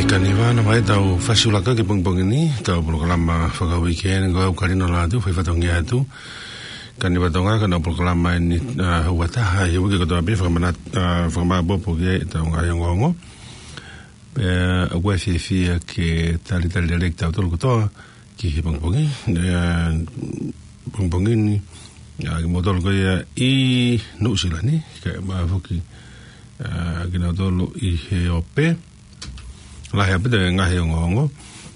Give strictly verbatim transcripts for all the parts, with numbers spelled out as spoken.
Ka ne vana mai tau fasiulaka ki he pongipongi ni, tau polokalama fakauike eni ko au Kalino Lātū, fai fatongia atu. Ka ne vatonga ka nau polokalama eni, ā, hau ataha, he uike kotoa pē fakamana-, ā, fakamāpopo ki ai ʻetau ngaahi ongoongo. Pea ʻoku ou fiefia ke talitali lelei kitautolu kotoa ki he pongipongi, ē, pongipongi ni, ā, kimoutolu ko ia ʻi Nuʻusila ni, kae ʻumaʻā foki, ā, kinautolu ʻi he ope. Lahi ʻaupito e ngaahi ongoongo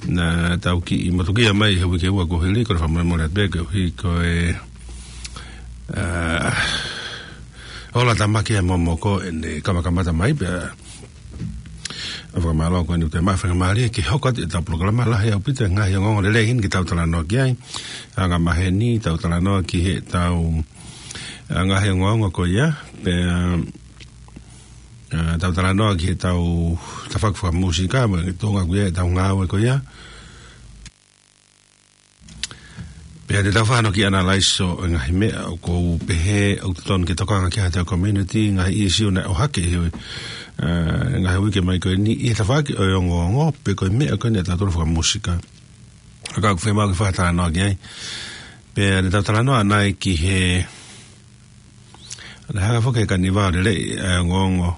naʻa tau kiʻi motukia mai he uike ua kuo hili, ko e fakamolemole atu pē koeʻuhi ko e, ā, ola tamaki ʻa e momoko ʻene kamakamata mai pea ʻoku ou fakamālō ko eni ʻoku toe maʻu faingamālie ke hoko atu ʻetau polokalama. Lahi ʻaupito e ngaahi ongoongo lelei eni ke tau talanoa ki ai. Angamaheni tau talanoa ki heʻetau, ā, ngaahi ongoongo ko ia. Pea, ā, tau talanoa ki heʻetau tafaʻaki fakamūsika, mo e tuʻunga ko ia ʻetau ngāue ko ia. Pea te tau fānau ki analaiso e ngaahi meʻa ʻoku ou pehē ʻoku totonu ke tokanga ki ai ʻetau community, ngaahi issue naʻe ʻohake he, ā, ngaahi uike mai ko eni ʻi he tafaʻaki ʻo e ongoongo, pe ko e meʻa ko eni ʻa tautolu fakamūsika. Ka ʻoku fiemaʻu ke fakatalanoa ki ai. Pea te tau talanoa ʻanai ki he Naʻe hanga foki ʻe Kaniva ʻo lele ʻa e ongoongo,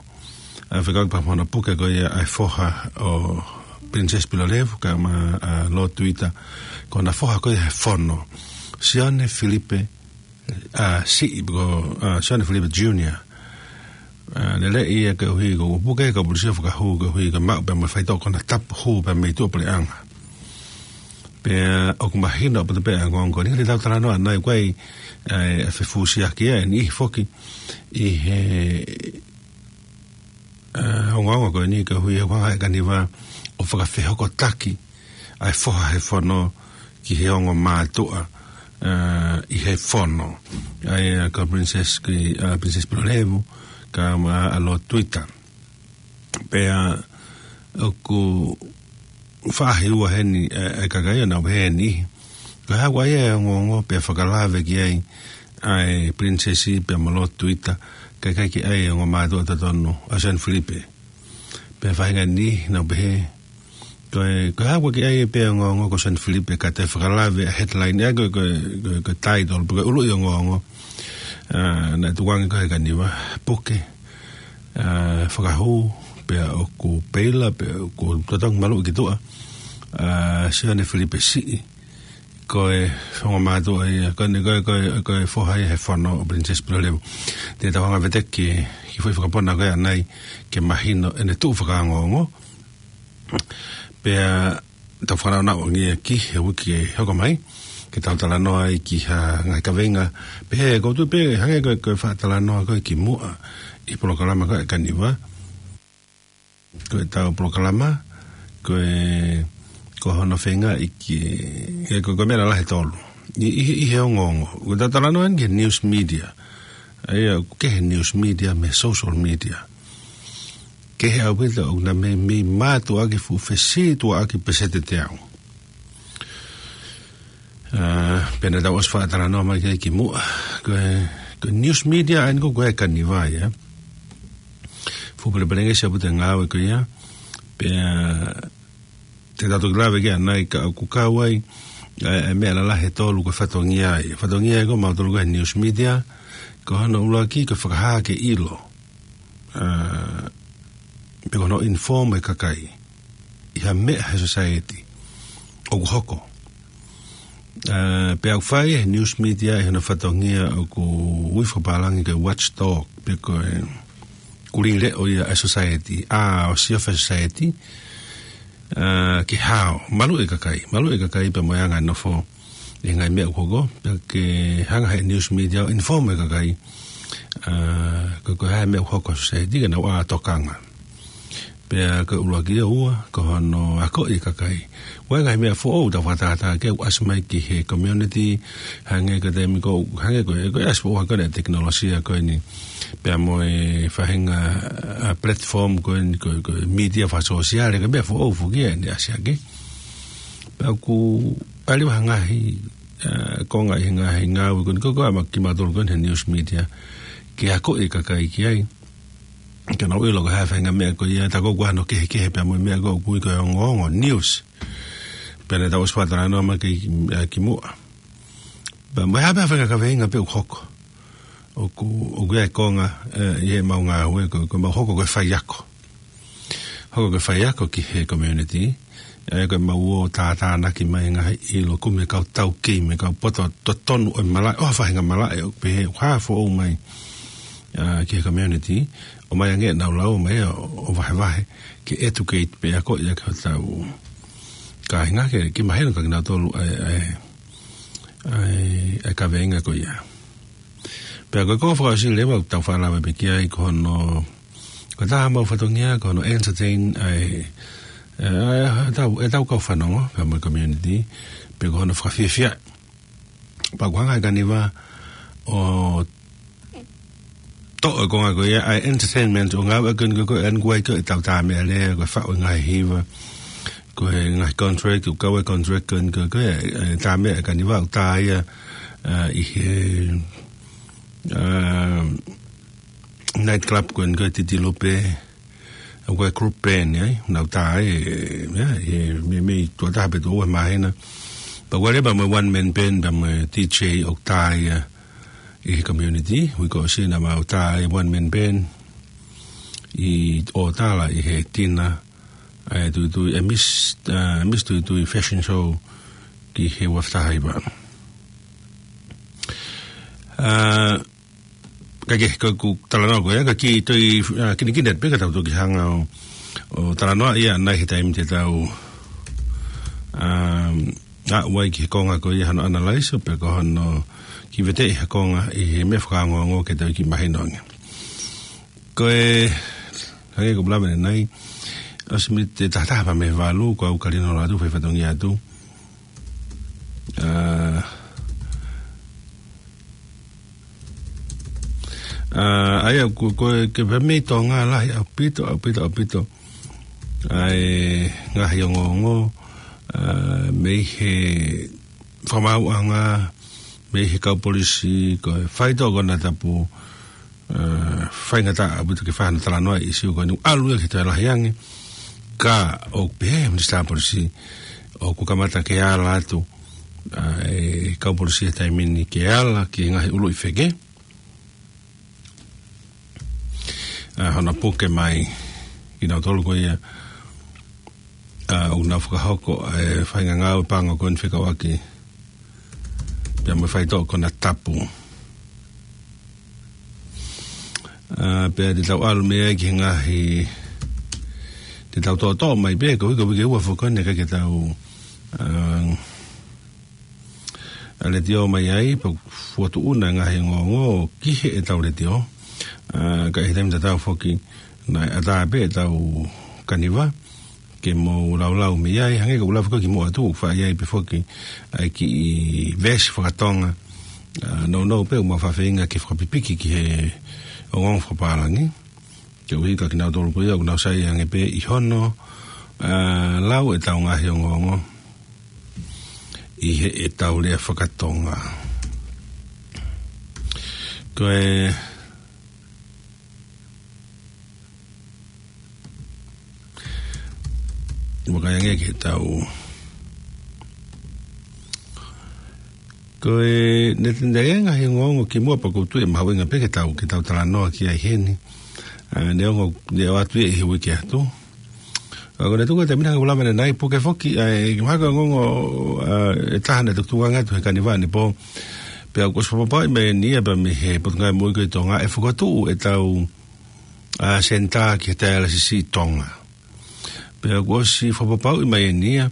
ā, fekauʻaki pea mo hono puke ko ia ʻa e foha ʻo Princess Pilolevu kae ʻumaʻā, ā, Lord Tuita, ko hona foha ko ia he fono, Sione Filipe, ā, Siʻi, ko, ā, Sione Filipe Junior. Ā, lele ia koeʻuhi ko e puke, ko e polisi fakahū koeʻuhi ko e maʻu pea mo e faitoʻo ko hona tapu hū pea mei tuʻapuleʻanga. Pea ʻoku mahino ʻaupito pē ʻa e ongoongo ko eni, te tau talanoa ʻanai ko e, ā, ʻa e fefusiaki ʻa e niʻihi foki ʻi he, ā, ongoongo ko eni koeʻuhi he ʻoku hanga ʻe Kaniva ʻo fakafehokotaki ʻa e foha he fono ki he ongo mātuʻa, ā, ʻi he fono. ʻA ia ko Princess ki, ā, Princess Pilolevu, kae ʻumaʻā ʻa Lord Tuita. Pea ʻoku faʻahi ua heni, ē, ʻa e kakai ʻo nau heni. Ko e hā ko ia e ongoongo pea fakalave ki ai ʻa e Princess pea mo Lord Tuita, kae ʻikai ke ʻi ai e ongo mātuʻa totonu ʻa Sione Filipe. Pea faʻahinga ni nau pehē, ko e, ko e hā ko e ʻi ai pē ongoongo ko Sione Filipe ka te fakalave ʻa e headline ʻa e ko e, ko e, ko e, ko e title, pe ko e ʻuluʻi ongoongo. Ā, naʻe tukuange ko ē ʻe Kaniva, puke, ā, fakahū, pea ʻoku peila, pea ʻoku totongi maluʻi ki tuʻa, ā, Sione Filipe Siʻi, ko e ongo mātuʻa ia, ko eni ko e, ko e, ko e foha ia he fono ʻo Princess Pilolevu. Te tau hanga ʻo veteki ki he foʻi fakapona ko ia ʻanai ke mahino ʻene tuʻu fakaongoongo. Pea tau fanongo ʻanai ki he uike hoko mai, ke tau talanoa ai ki ha ngaahi kaveinga. Pea he ʻoku ou tui pē hangē ko e, ko e fakatalanoa ko ē kimuʻa ʻi he polokalama ko ē ʻa Kaniva. Ko ʻetau polokalama, ko e, ko hono feingaʻi ke, ke ko e, ko e meʻa lalahi ʻe tolu. ʻI, ʻi, ʻi he ongoongo. Ko ʻetau talanoa eni ki he news media. ʻA ia, ko e news media mo e social media. Kehe ʻaupito ʻoku na mei, mei mātuʻaki fuʻu fesītuʻaki peseti ʻe teau. Ā, pea naʻa tau ʻosi fakatalanoa mai ki ai kimuʻa. Ko e, ko e news media eni ko ē ʻa Kaniva ia. Fuʻu pelepelengesi ʻaupito e ngāue ko ia. Pea te tau toki lave ki ai ʻanai ka ʻoku kau ai ʻa e, ʻa e meʻa lalahi ʻe tolu ko e fatongia ia. Fatongia ia ko mautolu ko e news media. Ko hono ʻuluaki ko e fakahā ke ʻilo, ā, pe ko hono inform e kakai ʻi ha meʻa he society ʻoku hoko. Ā, pea ʻoku fai e news media ʻi hono fatongia ʻoku ui fakapālangi ko e watchdog, pe ko e kulī leʻo ia ʻa e society, ʻa, ʻo siofi e society, ā, ke hao, maluʻi e kakai, maluʻi e kakai pea mo e anga e nofo ʻi he ngaahi meʻa ʻoku hoko, pea ke hanga he news media ʻo inform e kakai, ā, ko, ko e hā e meʻa ʻoku hoko he society ke nau ʻā tokanga. Pea ko e ʻuluaki ia. Ua, ko hono akoʻi e kakai. Ko e ngaahi meʻa foʻou ʻoku tau fakatātā ke ʻoku ʻasi mai ki he community, hangē ko e taimi ko ē, hangē ko e, ko e ʻasi foʻou ko ē ʻa e tekinolosia ko eni. Pea mo e faʻahinga, ā, platform ko eni, ko e, ko e media fakasōsiale, ko e meʻa foʻou foki ia ʻene ʻasi hake. Pea ʻoku ʻi ai ha ngaahi, ā, konga ʻi he ngaahi ngāue ko eni, ko e, ko e ʻa kimautolu ko eni he news media, ke akoʻi e kakai ki ai. Ke nau ʻilo ko e hā e faʻahinga meʻa ko ia, tā ko ē ʻoku ʻi ai hano kehekehe pea mo e meʻa ko ē ʻoku ui ko e ongoongo, news. Pea naʻa tau ʻosi fakatalanoa mai ki, ʻa, kimuʻa. Pea mo e hā pē ha faʻahinga kaveinga pē ʻoku hoko. ʻOku, ʻoku ʻi ai e konga, ē, ʻi heʻemau ngāue ko, ko ʻemau hoko ko e faiako. Hoko ko e faiako ki he community. ʻA ia ko ʻemau ō tātānaki mai ngaahi ʻilo, kumi e kau taukei mo e kau poto totonu ʻo e malaʻe, ʻo ha faʻahinga malaʻe ʻoku pehē ʻoku hā foʻou mai, ʻa, ki he community. ʻOmai ange ʻenau lau mai ʻo, ʻo vahevahe, ke educate pē ʻa ko ia ki hotau kāinga ke, ke mahino kia kinautolu ʻa e, ʻa e, ʻa e, ʻa e kaveinga ko ia. Pea ko e konga fakaʻosi leva ʻoku tau fakalave pē ki ai ko hono, ko e taha ʻemau fatongia, ko hono entertain ʻa e, ʻa e, ʻa e, ʻetau, ʻetau kau fanongo, pea mo e community, pe ko hono fakafiefia. Pea ʻoku hanga ʻe Kaniva ʻo toʻo e konga ko ia ʻa e entertainment ʻo ngāueʻaki ko ē, ko ē, ʻa eni ʻoku ʻi ai ko ē ʻetau tā meʻa lea, ko e faʻu e ngaahi hiva, ko e ngaahi contract, ʻoku kau e contract ko eni ko ē, ko e, ʻa e tā meʻa ʻa Kaniva ʻoku tā ia, ʻa, ʻi he, ʻa, night club ko eni ko ē Titilupe, ʻa, ko e group band, ʻa ia, nau tā e, ʻa ia, ʻi he meimei tuʻo taha pe tuʻo ua he māhina. Pea ʻoku ʻi ai leva mo e one man band, pea mo e D J ʻoku tā ia ʻi he community, uike kuo ʻosi naʻa mau tā e one man band ʻi ʻOtala ʻi he tina, ʻa e Tuitui, ʻa e Miss, ʻa, Miss Tuitui Fashion Show ki he ua afe taha hiva. ʻA, ka ke, ka ʻoku talanoa ko ia, ka kiʻi toe, ʻa, kinikini atu pē ka tau toki hanga ʻo, ʻo talanoa ia ʻanai he taimi te tau, ʻa, ʻa, ʻalu ai ki he konga ko ia hano analyze, pe ko hono kiʻi veteʻi ha konga ʻi he meʻa fakaongoongo ke tau kiʻi mahino ange. Ko e, hangē ko ʻeku lave ʻanenai, ʻosi miniti ʻe taha taha pea mei he valu, ko au ka lino atu, fai fatongia atu. ʻA, ʻa, ʻa ia, ko, ko e, ke pehē mei Tonga lahi ʻaupito, ʻaupito, ʻaupito ʻa e ngaahi ongoongo, ʻa, mei he fakamaauʻanga, mei he kau polisi, ko e faitoʻo konatapu, ʻa, faingataʻa ʻaupito ke fai hano talanoa ʻi he ʻīsiu ko eni, ʻalu ia ki he toe lahi ange. Ka ʻoku pehē ʻe he Minisitā Polisi ʻoku kamata ke ala atu, ʻa, e kau polisi he taimi ni ke ala ki he ngaahi ʻuluʻi feke, ʻa, hono puke mai kinautolu ko ia, ʻa, ʻoku nau fakahoko ʻa e faʻahinga ngāue pango ko eni fekauʻaki pea mo e faitoʻo konatapu. ʻA, pea te tau ʻalu mei ai ki he ngaahi, te tau toʻotoʻo mai pē, ko e uike, uike ua foki ko eni ʻe ʻikai ke tau, ʻa, ʻa, letiō mai ai, pea fokotuʻuna e ngaahi ongoongo ki heʻetau letiō. ʻA, ka ʻi he taimi tatau foki, naʻe ʻatā pē ʻetau Kaniva ke mou laulau mei ai, hangē ko ʻeku lave ko ē kimuʻa atu, ʻoku faʻa ʻi ai pē foki ʻa e kiʻi veesi fakatonga, ʻa, nounou pē ʻoku mau faʻa feinga ke fakapipiki ki he ongoongo fakapālangi. Koeʻuhi ko kinautolu ko ia ʻoku nau saiʻia ange pē ʻi hono, ʻa, lau ʻetau ngaahi ongoongo ʻi heʻetau lea fakatonga. Ko e, vakai ange ki heʻetau, ko e, ne, ne, ne ngaahi ongoongo kimuʻa pea ʻoku ou tui ʻe mahuʻinga pē ke tau, ke tau talanoa ki ai heni. ʻA, neongo, ne ʻoatu ia ʻi he uike atu. ʻA, ko e tuku e taimi ni ʻoku lava ʻanenai, puke foki, ʻa, e, mahalo ko e ongoongo, ʻa, ʻe taha naʻe tukutuku ange atu he Kaniva ʻanepō. Pea kuo ʻosi fakapapauʻi mai eni ia pea mei he Potungāue Moʻui ko ē ʻi Tonga ʻe fokotuʻu ʻetau, ʻa, senitā ki he taialesisi ʻi Tonga. Pea kuo ʻosi fakapapauʻi mai eni ia,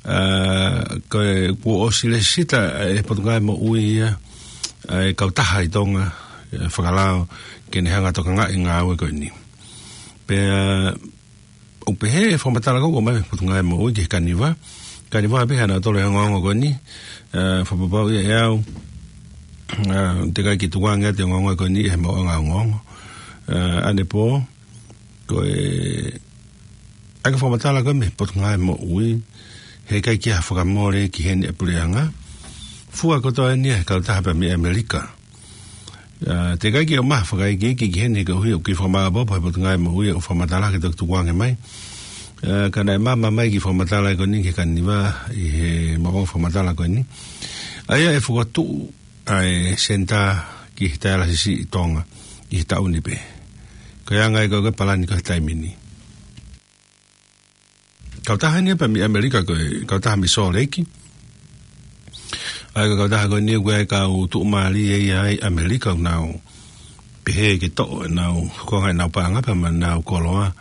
ʻa, ko e, kuo ʻosi lēsisita ʻe he Potungāue Moʻui ia ʻa e kautaha ʻi Tonga, ʻa, fakalao ke ne hanga ʻo tokangaʻi e ngāue ko eni. Pea ʻoku pehē ʻe he fakamatala ko ē ʻoku ʻomai mei he Potungāue Moʻui ki he Kaniva. Kaniva pē ʻa kinautolu ʻi he ongoongo ko eni, ʻa, fakapapauʻi ʻe au, ʻa, teʻeki ai ke tukuange atu e ongoongo ko eni ʻe he maʻuʻanga ongoongo. ʻA, ʻanepō, ko e, ʻa e fakamatala ko ē mei he Potungāue Moʻui, heʻikai ke ʻi ai ha fakamole ki heni ʻa e puleʻanga. Fua kotoa eni ia ʻe he kautaha pea mei ʻAmelika. ʻA, teʻeki ai ke u maʻu ha fakaikiiki ki heni koeʻuhi ʻoku kiʻi fakamāʻopoʻopo he Potungāue Moʻui ʻoku fakamatala ke toki tukuange mai. ʻA, ka naʻe maama mai e kiʻi fakamatala ko eni ki he Kaniva ʻi he maʻuʻanga fakamatala ko eni. ʻA ia ʻe fokotuʻu ʻa e senitā ki he taialasisi ʻi Tonga ʻi he taʻu ni pē. Ko e anga ia ko e palani ko e taimi ni. Kautaha eni pē mei ʻAmelika ko e kautaha mei Sōleki. ʻA ia ko e kautaha ko eni ʻoku ʻi ai e kau tuʻumālie ia ʻi ʻAmelika ʻoku nau pehē ke toʻo ʻenau, ko e ngaahi ʻenau paʻanga pea mo ʻenau koloa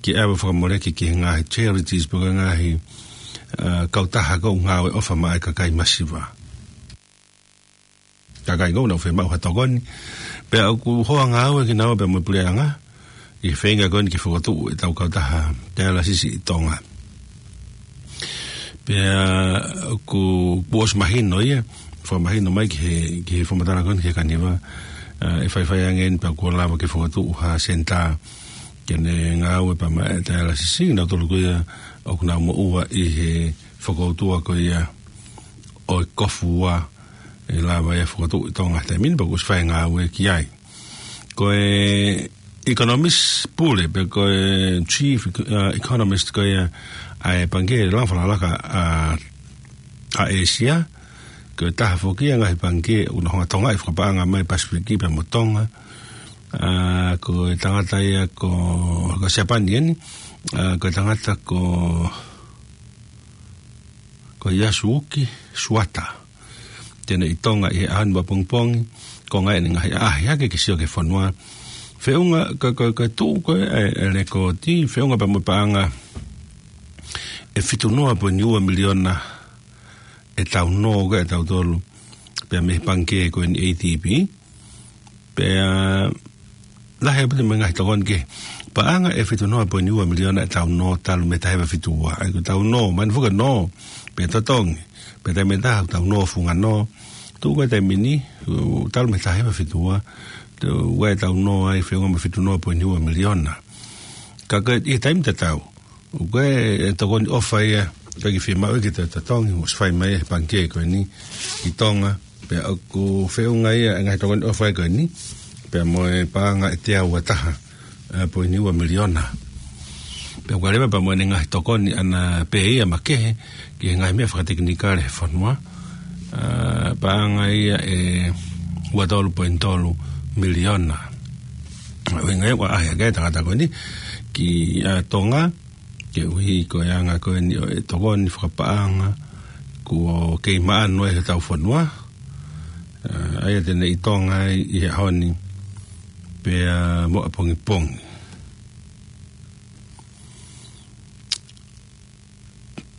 ke ʻave fakamoleki ki he ngaahi charities pe ko e ngaahi, ʻa, kautaha ʻoku ngāue ʻofa maʻa e kakai masiva. Kakai ʻoku nau fiemaʻu ha tokoni. Pea ʻoku hoa ngāue kinaua pea mo e puleʻanga ʻi he feinga ko eni ke fokotuʻu ʻetau kautaha taialasisi ʻi Tonga. Pea ʻoku, kuo ʻosi mahino ia, fakamahino mai ki he, ki he fakamatala ko eni ki he Kaniva, ʻa, ʻe faifai ange eni pea kuo lava ke fokotuʻu ha senitā ke ne ngāue pea maʻa e taialasisi, nautolu ko ia ʻoku nau moʻua ʻi he fokoutua ko ia ʻo e kofu ua ʻe lava ia ʻo fokotuʻu ʻi Tonga he taimi ni pea kuo ʻosi fai e ngāue ki ai. Ko e economist pule, pe ko e chief, ʻa, economist ko ia ʻa e Pangikē Langa Fakalakalaka ʻa, ʻa ʻĒsia, ko e taha foki ia e ngaahi pangikē ʻoku nau hanga ʻo tokangaʻi fakapaʻanga mai Pasifiki pea mo Tonga. ʻA, ko e tangata ia ko, ko Siapani eni, ʻa, ko e tangata ko, ko Yasuki Suwata. Te ne ʻi Tonga ʻi he ʻaho ni ʻapongipongi, ko e ngaahi ʻene ngaahi ʻaʻahi hake ke sio ki he fonua. Feʻunga, ko, ko, ko e tuʻu ko ē ʻa e, ʻa e lekooti, feʻunga pea mo e paʻanga ʻe fitu noa poini ua miliona ʻetau nō ko ē ʻatautolu pea mei he pangikē ko eni ʻa e A D B. Pea lahi ʻaupito mo e ngaahi tokoni kehe. Paʻanga ʻe fitu noa poini ua miliona ʻetau nō talu mei he taha hiva fitu ua. ʻA ia ko ʻetau nō, mahino foki e nō, pea totongi, pea taimi ʻe taha ʻoku tau nō funga nō. Tuʻu ko ē taimi ni, ʻo talu mei he taha hiva fitu ua, te u ʻai ʻetau nō ai feʻunga mo e fitu noa poini ua miliona. Ka ko e, ʻi he taimi tatau, ʻoku ʻi ai e tokoni ʻofa ia, ʻoku ʻikai ke fiemaʻu ke toe totongi, ʻoku ʻosi fai mai ʻe he pangikē ko eni ʻi Tonga, pea ʻoku feʻunga ia e ngaahi tokoni ʻofa ia ko eni, pea mo e paʻanga ʻe teau ua taha, ʻa, poini ua miliona. Pea ʻoku ʻi ai leva pea mo ʻene ngaahi tokoni ʻana pē ia makehe, ki he ngaahi meʻa fakatekinikale he fonua, ʻa, paʻanga ia ʻe ua tolu poini tolu miliona. ʻUhinga ia ʻoku ʻaʻahi hake ai e tangata ko eni ki, ʻa, Tonga, koeʻuhi ko e anga ko eni ʻo e tokoni fakapaʻanga kuo kei maʻanu ai heʻetau fonua. ʻA, ʻa ia te ne ʻi Tonga ai ʻi he ʻaho ni pea mo ʻapongipongi.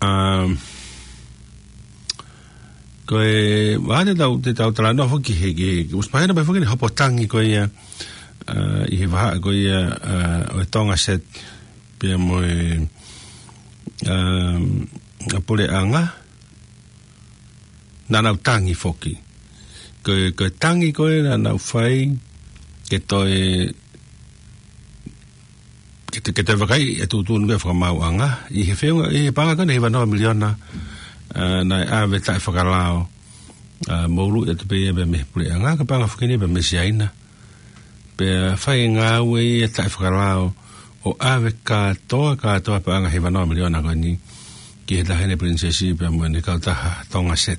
ʻA, ko e, ʻa, te tau, te tau talanoa foki he, ke, ke ʻosi mahino mai foki ʻene hopo tangi ko ia, ʻa, ʻi he vahaʻa ko ia, ʻa, ʻo e Tonga Set pea mo e, ʻa, ʻa puleʻanga, naʻa nau tangi foki. Ko e, ko e tangi ko ē naʻa nau fai, ke toe, ke toe, ke toe vakaiʻi e tuʻutuʻuni ko ē fakamaauʻanga, ʻi he feʻunga, ʻi he paʻanga ko eni ʻe hiva noa miliona, ʻa, naʻe ʻave taʻefakalao, ʻa, moʻulu ʻi atu pē ia pea mei he puleʻanga, ko e paʻanga foki eni pea mei Siaina. Pea fai e ngāue ia taʻefakalao ʻo ʻave kātoa, kātoa paʻanga ʻe hiva noa miliona ko eni ki he Taʻahine Pilinisesi pea mo ʻene kautaha Tonga Set.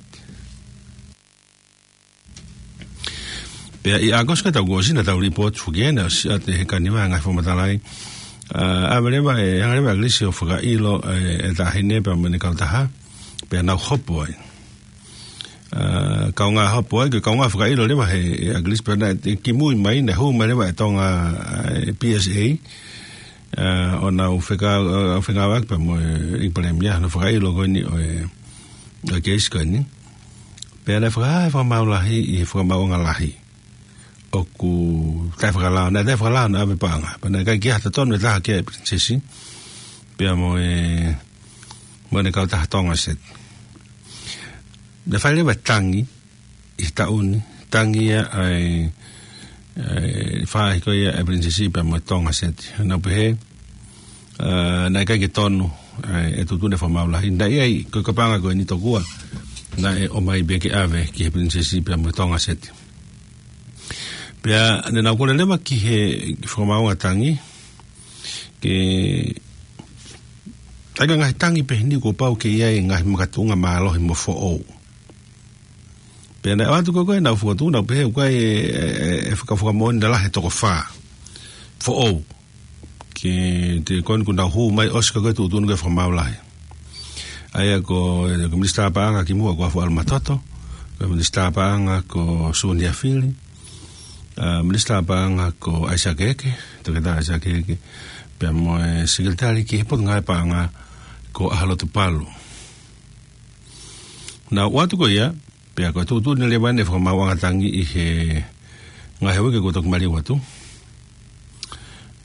Pea ʻi ʻAokosi ko ē taʻu kuo ʻosi naʻa tau lipooti foki ʻeni, ʻosi ʻa e he Kaniva ngaahi fakamatala ai. ʻA, ʻave leva, ʻe, hanga leva ʻa ʻAkilisi ʻo fakaʻilo, ʻe, e Taʻahine pea mo ʻene kautaha, pea nau hopo ai. ʻA, kaungā hopo ai, ko e kaungā fakaʻilo leva ʻe he, ʻe ʻAkilisi pea naʻe, ʻe kimui mai, naʻe hū mai leva e Tonga, ʻa, ʻe P S A, ʻa, ʻo nau fekau, ʻa, fekauʻaki pea mo e, ʻEiki Palēmia, ʻa hono fakaʻilo ko eni ʻo e, ʻo e keisi ko eni. Pea naʻe fakahā ʻe he Fakamaau Lahi, ʻi he Fakamaauʻanga Lahi, ʻoku taʻefakalao, naʻe taʻefakalao ʻene ʻave paʻanga. Pea naʻe ʻikai ke ʻi ai ha totonu ʻe taha ki ai e Pilinisesi, pea mo e, mo ʻene kautaha Tonga Set. Naʻe fai leva e tangi ʻi he taʻu ni, tangi ia ʻa e, ʻa e faʻahi ko ia ʻa e Pilinisesi pea mo e Tonga Set. Naʻa nau pehē, ʻa, naʻe ʻikai ke tonu ʻa e tuʻutuʻuni ʻa e Fakamaau Lahi. Naʻe ʻi ai, ko e paʻanga ko eni tokua naʻe ʻomai pē ke ʻave ki he Pilinisesi pea mo e Tonga Set. Pea ne nau kole leva ki he, ki he Fakamaauʻanga Tangi, ke ʻai ha ngaahi tangi pehē ni kuo pau ke ʻi ai e ngaahi makatuʻunga mālohi mo foʻou. Pea naʻe ʻoatu ko ē ʻenau fokotuʻu, nau pehē ʻoku ʻi ai e, e, e, e faka-, fakamoʻoni lalahi ʻe toko fā foʻou. Ke te koni kuo nau hū mai ʻosi ko ē tuʻutuʻuni ko ē Fakamaau Lahi. ʻA ia ko, ko e Minisitā Paʻanga kimuʻa ko Afualo Matoto, ko e Minisitā Paʻanga ko Sunia Fili, ʻa, Minisitā Paʻanga ko ʻAisake Eke, Toketā ʻAisake Eke, pea mo e Sekelitali ki he Potungāue Paʻanga ko ʻAhalotu Palu. Naʻe ʻoatu ko ia, pea ko e tuʻutuʻuni leva ʻeni ʻa e Fakamaauʻanga Tangi ʻi he ngaahi uike kuo toki maliu atu.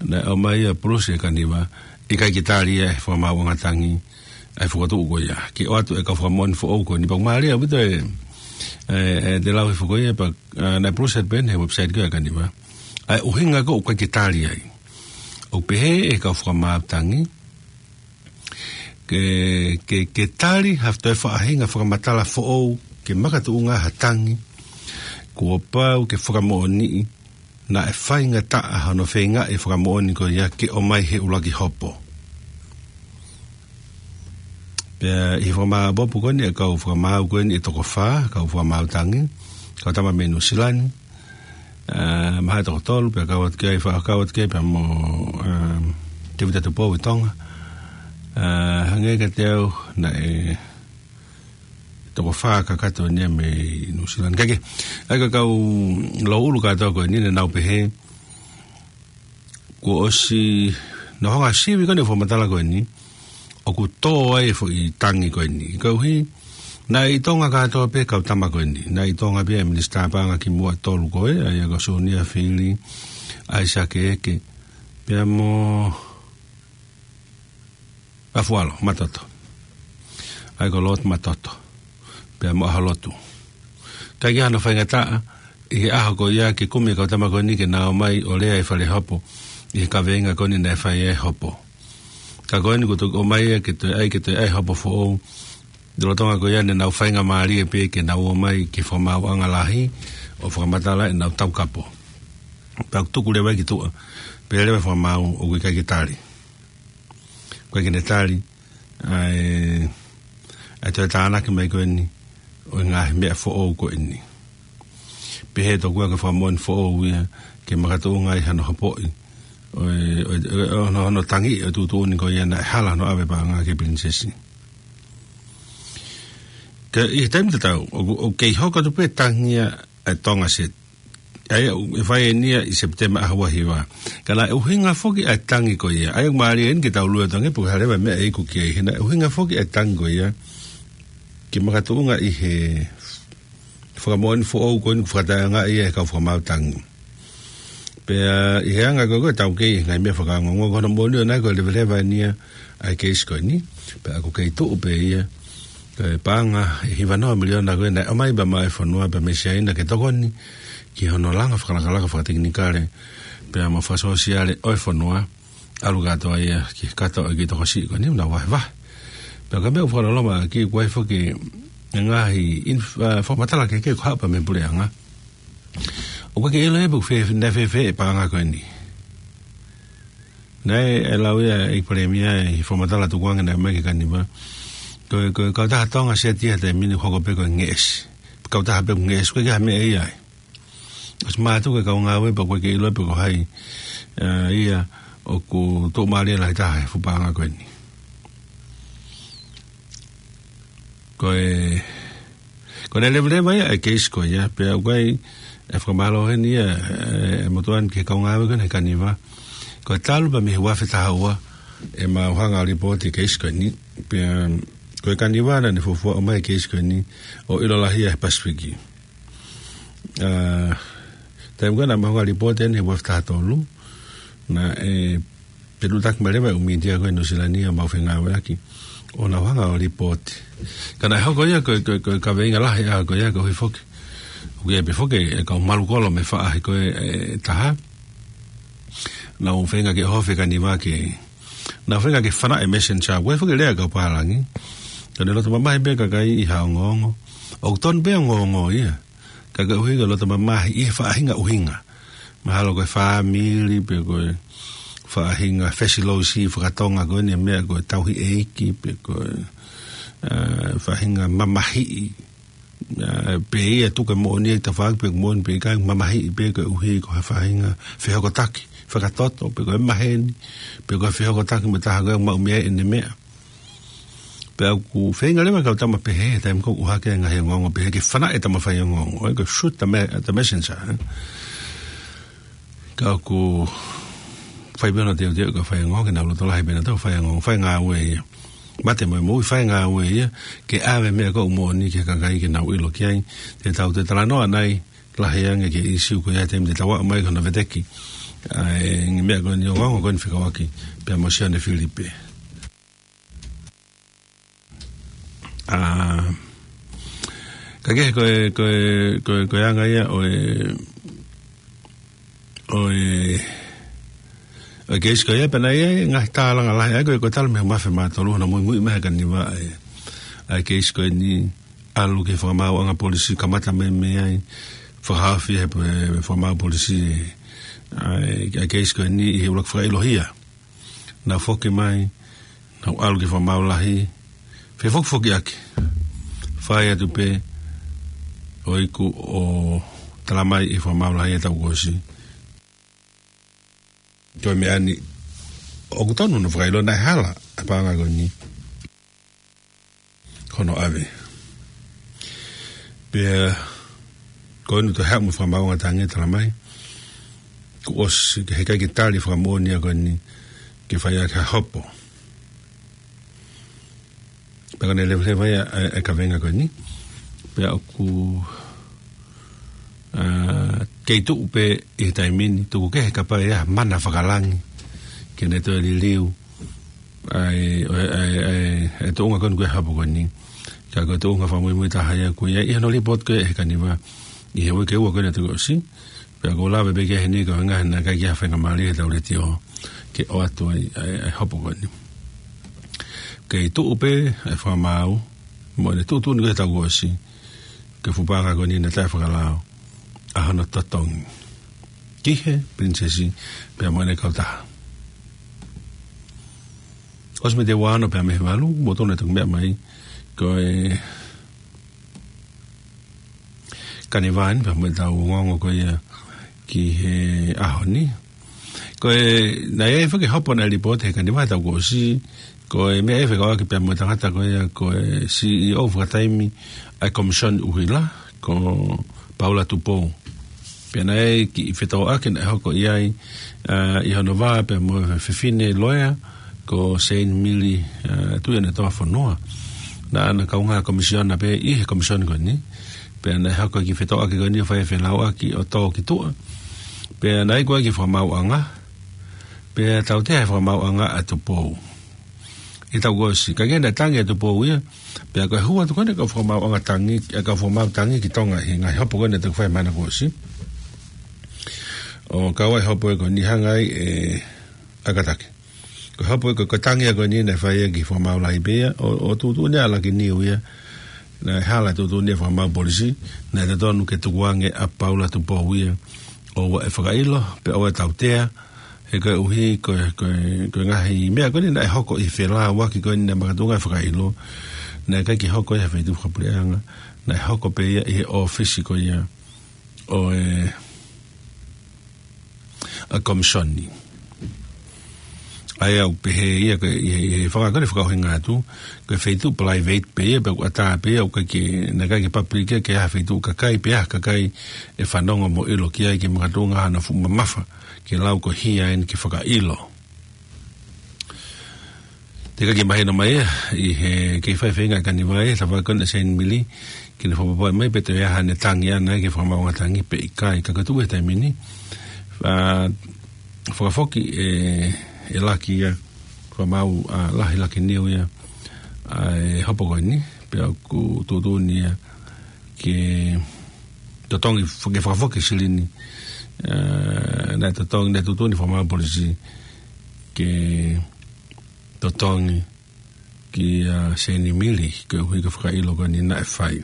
Naʻe ʻomai ʻa Pulusi ʻe Kaniva, ʻikai ke tali ia ʻe he Fakamaauʻanga Tangi ʻa e fokotuʻu ko ia. Ke ʻoatu e kau fakamoʻoni foʻou ko eni, pea ʻoku mālie ʻaupito e, e, e te lau hifo ko ia, pea, ʻa, naʻe Pulusi ʻa pehē he website ko ē ʻa Kaniva, ʻa e ʻuhinga ko ē ʻoku ʻikai ke tali ai. ʻOku pehē ʻe he kau Fakamaau Tangi, ke, ke, ke tali ha toe faʻahinga fakamatala foʻou ke makatuʻunga ha tangi, kuo pau ke fakamoʻoniʻi naʻe faingataʻa hono feingaʻi e fakamoʻoni ko ia ke ʻomai he ʻuluaki hopo. Pea ʻi he fakamāʻopoʻopo ko eni ʻa e kau Fakamaau ko eni ʻe toko fā, kau Fakamaau Tangi, kau tama mei Nuʻusila ni, ʻa, mahalo ʻe toko tolu, pea kau atu ki ai, faʻa kau atu ki ai, pea mo, ʻa, Tēvita Tupou ʻi Tonga. ʻA, hangē kiate au naʻe toko fā kakato eni ia mei Nuʻusila ni. Kae kehe, ʻa e kau Louʻulu kātoa ko eni naʻa nau pehē, kuo ʻosi nau hanga ʻo sivi ko eni e fakamatala ko eni, ʻoku tō ai e foʻi tangi ko eni. Koeʻuhi, naʻe ʻi Tonga kātoa pē kau tama ko eni. Naʻe ʻi Tonga pē ʻa e Minisitā Paʻanga kimuʻa ʻe tolu ko ē, ʻa ia ko Sunia Fili, ʻAisake Eke, pea mo Afualo Matoto. ʻA ia ko Lord Matoto. Pea mo ʻAhalotu. ʻIkai ke ʻi ai hano faingataʻa, ʻi he ʻaho ko ia ke kumi e kau tama ko eni ke nau ō mai ʻo lea ʻi he fale hopo, ʻi he kaveinga ko eni naʻe fai ai e hopo. Ka ko eni kuo toki ō mai ia ke toe ʻai, ke toe ʻai e hopo foʻou. Lolotonga ko ia naʻa nau faingamālie pē ke nau ō mai ki he Fakamaauʻanga Lahi, ʻo fakamatala ʻenau taukapo. Pea ʻoku tuku leva ia ki tuʻa, pehē leva e Fakamaau ʻoku ʻikai ke tali. ʻOku ʻikai ke ne tali ʻa e, ʻa e toe tānaki mai ko eni ʻo e ngaahi meʻa foʻou ko eni. Pehē tokua ko e fakamoʻoni foʻou ia ke makatuʻunga ai hano hopoʻi ʻo e, ʻo e, ʻo e, ʻo hono, hono tangi ʻo e tuʻutuʻuni ko ia naʻe hala hono ʻave e paʻanga ki he Pilinisesi. Ka ʻi he taimi tatau, ʻoku, ʻoku kei hoko atu pē e tangi ia ʻa e Tonga Set. ʻA ia ʻe fai eni ia ʻi Sepitema ʻaho ua hiva. Ka naʻe ʻuhinga foki ʻa e tangi ko ia. ʻA ia ʻoku mālie eni ke tau lue atu ange pe ko e hā leva e meʻa ʻe iku ki ai. He naʻe ʻuhinga foki ʻa e tangi ko ia ke makatuʻunga ʻi he fakamoʻoni foʻou ko eni kuo fakataʻeʻaongaʻi ia ʻe he kau Fakamaau Tangi. Pea ʻi he anga ko ē ʻoku tau kei he ngaahi meʻa fakaongoongo, ko hono moʻoni ʻoku ʻi ai ko e leveleva eni ia ʻa e keisi ko eni. Pea ʻoku kei tuʻu pē ia ko e paʻanga ʻe hiva noa miliona ko ē naʻe ʻomai pea maʻu ʻe he fonua pea mei Siaina ke tokoni ki hono langa fakalakalaka fakatekinikale pea mo fakasōsiale ʻo e fonua, ʻalu kātoa ia ki he kato ʻo e kiʻi tokosiʻi ko eni ʻoku nau vahevahe. Pea ko e meʻa ʻoku fakaloloma ki ai, ʻoku ʻi ai foki e ngaahi inf-, ʻa, fakamatala kehekehe ʻoku haʻu pē mei he puleʻanga. ʻOku ʻikai ke ʻilo ia pe ʻoku fē-, naʻe fēfē e paʻanga ko eni. Naʻe lau ia ʻe he Palēmia ʻi he fakamatala tukuange naʻe ʻomai ki he Kaniva, ko e, ko e kautaha Tonga Set ia he taimi ni ʻoku hoko pē ko e ngeʻesi. Kautaha pē ʻoku ngeʻesi, ʻoku ʻikai ha meʻa ia ai. ʻOsi mātuku e kau ngāue pea ʻoku ʻikai ke ʻilo pe ko hai, ʻa, ia ʻoku tuʻumālie lahi taha he fuʻu paʻanga ko eni. Ko e, ko ʻene leveleva ia e keisi ko ia, pea ʻoku ʻi ai e fakamālō heni ia ʻa e, ʻa e motuʻa ni ki he kau ngāue ko eni he Kaniva. Ko e talu pē mei he ua afe taha ua ʻemau hanga ʻo lipooti e keisi ko eni, pea ko e Kaniva naʻa ne fuofua ʻomai e keisi ko eni ʻo ʻilo lahi ia he Pasifiki. ʻA, taimi ko ē naʻa mau hanga ʻo lipooti eni he ua afe taha tolu, naʻe peluʻutaki mai leva e ʻū mītia ko ē Nuʻusila ni ʻo mau fengāueʻaki ʻo nau hanga ʻo lipooti. Ka naʻe hoko ia ko e, ko e, ko e kaveinga lahi ʻa ko ia koeʻuhi foki ʻoku ʻi ai pē foki e kau malu kolo mei he faʻahi ko ē ʻe taha. Nau feinga ke ʻohofi e Kaniva ke, nau feinga ke fanaʻi e Messenger, ʻoku ʻi ai foki e lea ʻa e kau pālangi. Ka ne loto mamahi pē e kakai ʻi ha ongoongo. ʻOku tonu pē e ongoongo ia. Ka koeʻuhi ko e loto mamahi ʻi he faʻahinga ʻuhinga. Mahalo ko e fāmili, pe ko e faʻahinga fesilousi fakatonga ko eni, meʻa ko e tauhi ʻeiki, pe ko e, ā, faʻahinga mamahiʻi, ā, pe ia tuku e moʻoni ʻi tafaʻaki, pe moʻoni pe ʻikai, mamahiʻi pē koeʻuhi ko ha faʻahinga fehokotaki fakatoto, pe ko e maheni, pe ko e fehokotaki mo e taha ko ē ʻoku maʻu mei ai ʻene meʻa. Pea ʻoku feinga leva e kau tama pehē, taimi ko ē ʻoku ʻohake e ngaahi ongoongo pehē ke fanaʻi e tama faiongoongo, ʻo ʻikai ko e shoot the me-, the messenger, ē. Ka ʻoku fai pē hono teuteu e kau faiongoongo ke nau loto lahi pē nautolu ʻo faiongoongo, fai e ngāue ia. Mate mo e moʻui, fai e ngāue ia, ke ʻave e meʻa ko ē ʻoku moʻoni ki he kakai ke nau ʻilo ki ai. Te tau toe talanoa ʻanai lahi ange ki he ʻīsiu ko ia he taimi te tau aʻu mai ki hono veteki ʻa e ngaahi meʻa ko eni, ongoongo ko eni fekauʻaki pea mo Sione Filipe. Ā, ka kehe ko e, ko e, ko e, ko e anga ia ʻo e, ʻo e, ʻo e keisi ko ia, pea naʻe ʻi ai e ngaahi tālanga lahi, ʻa ia ko e, ko e talu mei he ʻaho mā fā mā tolu hono muimui mai ʻe he kaniva ʻa e, ʻa e keisi ko eni, ʻalu ki he fakamaauʻanga polisi, kamata mei, mei ai, fakahaofi ʻe he, he fakamaau polisi ʻa e, ʻa e keisi ko eni ʻi he ʻuluaki fakaʻilohia. Naʻa foki mai, naʻa ʻalu ki he fakamaau lahi, fefokifokiʻaki. Fai atu pē, ʻo iku ʻo talamai ʻe he fakamaau lahi ʻi he taʻu kuo ʻosi, ko e meʻa ni ʻoku tonu hono fakaʻilo, naʻe hala ʻa e paʻanga ko eni hono ʻave. Pea ko eni toe haʻu mo e fakamaauʻanga tangi, talamai kuo ʻosi, heʻikai ke tali e fakamoʻoni ia ko eni ke fai ʻaki ha hopo. Pea ko ʻene leveleva ia e, e kaveinga ko eni. Pea ʻoku, ā, kei tuʻu pē ʻi he taimi ni, tuku kehe kapau ʻe ʻi ai ha mana fakalangi ke ne toe liliu ʻa e, ʻa e, ʻa e, ʻa e, ʻa e tuʻunga ko eni ko e hopo ko eni. Ka ko e tuʻunga fakamuimui taha ia ko ia ʻi hono lipooti ko ē ʻe he kaniva ʻi he uike ua ko eni ʻa e taʻu kuo ʻosi. Pea ʻoku ou lave pē ki ai heni koeʻuhi naʻe ʻikai ke ʻi ai ha faingamālie he tau letiō ke ʻoatu ai ʻa e, ʻa e hopo ko eni. Kei tuʻu pē ʻa e fakamaau mo ʻene tuʻutuʻuni ko ē he taʻu kuo ʻosi ki he fuʻu paʻanga ko eni naʻe taʻefakalao ʻa hono totongi ki he pilinisesi pea mo ʻene kautaha. ʻOsi mei he ua ono pea mei he valu, mou tonu e toki meʻa mai, ko e kaniva ni, pea mo e tau ongoongo ko ia ki he ʻaho ni. Ko e, naʻe ʻi ai foki e hopo naʻe lipooti ʻe he kaniva he taʻu kuo ʻosi, ko e meʻa ia fekauʻaki pea mo e tangata ko ia ko e C E O fakataimi ʻa e Komisioni ʻUhila, ko Paula Tupou. Pea naʻe ʻi ai e kiʻi fetōʻaki naʻe hoko ʻi ai, ā, ʻi hono vā pea mo e fefine loea, ko Seini Mili, ā, Tuʻiʻonetoa Fonua. Naʻa na kaungā komisiona pē ʻi he komisioni ko eni. Pea naʻe hoko e kiʻi fetōʻaki ko eni ʻo fai e felauʻaki ʻo tō ki tuʻa. Pea naʻe ʻi ai ko ē e kiʻi fakamaauʻanga. Pea tautea e fakamaauʻanga ʻa Tupou ʻi he taʻu kuo ʻosi. Ka ko e naʻe tangi ʻa Tupou ia, pea ko e hū atu ko eni e kau fakamaauʻanga tangi, e kau fakamaau tangi ki Tonga ʻi he ngaahi hopo ko eni naʻe toki fai he māhina kuo ʻosi. ʻO kau ai e hopo ko eni, hanga ai ʻe Akatake. Ko e hopo ko e, ko e tangi ia ko eni naʻe fai ia ki he fakamaau lahi pē ia, ʻo, ʻo tuʻutuʻuni ʻa e laki niu ia, naʻe hala e tuʻutuʻuni ʻa e fakamaau polisi, naʻe totonu ke tukuange ʻa Paula Tupou ia ʻoua ʻe fakaʻilo, pea ʻoua ʻe tautea, he koeʻuhi ko e, ko e, ko e ngaahi meʻa ko eni naʻe hoko ʻi he felauʻaki ko eni naʻe makatuʻunga e fakaʻilo, naʻe ʻikai ke hoko ia he feituʻu fakapuleʻanga, naʻe hoko pē ia ʻi he ʻōfisi ko ia ʻo e, ʻa e komisioni. ʻA ia ʻoku pehē ia ko e, ʻi he, ʻi he fanga ko eni fakaʻuhinga atu, ko e feituʻu private pē ia, pea ʻoku ʻatā pē ia, ʻoku ʻikai ke, naʻe ʻikai ke public ia, ke ʻi ai ha feituʻu kakai, pe ʻi ai ha kakai ʻe fanongo mo ʻilo ki ai ke makatuʻunga hano fuʻu mamafa ke lau ko e hia eni ke fakaʻilo. Teʻeki ke mahino mai ia ʻi he kei fai feinga e kaniva ia, tafaʻaki ko eni ʻa Seini Mili, ke ne fakapapauʻi mai pe toe ʻi ai haʻane tangi ʻaʻana ki he fakamaauʻanga tangi pe ʻikai, ka ko e tuʻu he taimi ni, ā, fakafoki ʻe, ʻe laki ia, fakamaau, ā, lahi laki niu ia, ā, e hopo ko eni, pea ʻoku tuʻutuʻuni ia ke totongi, ke fakafoki e silini, ā, naʻe totongi, naʻe tuʻutuʻuni e fakamaau polisi ke totongi kia Seini Mili, koeʻuhi ko e fakaʻilo ko eni naʻe fai.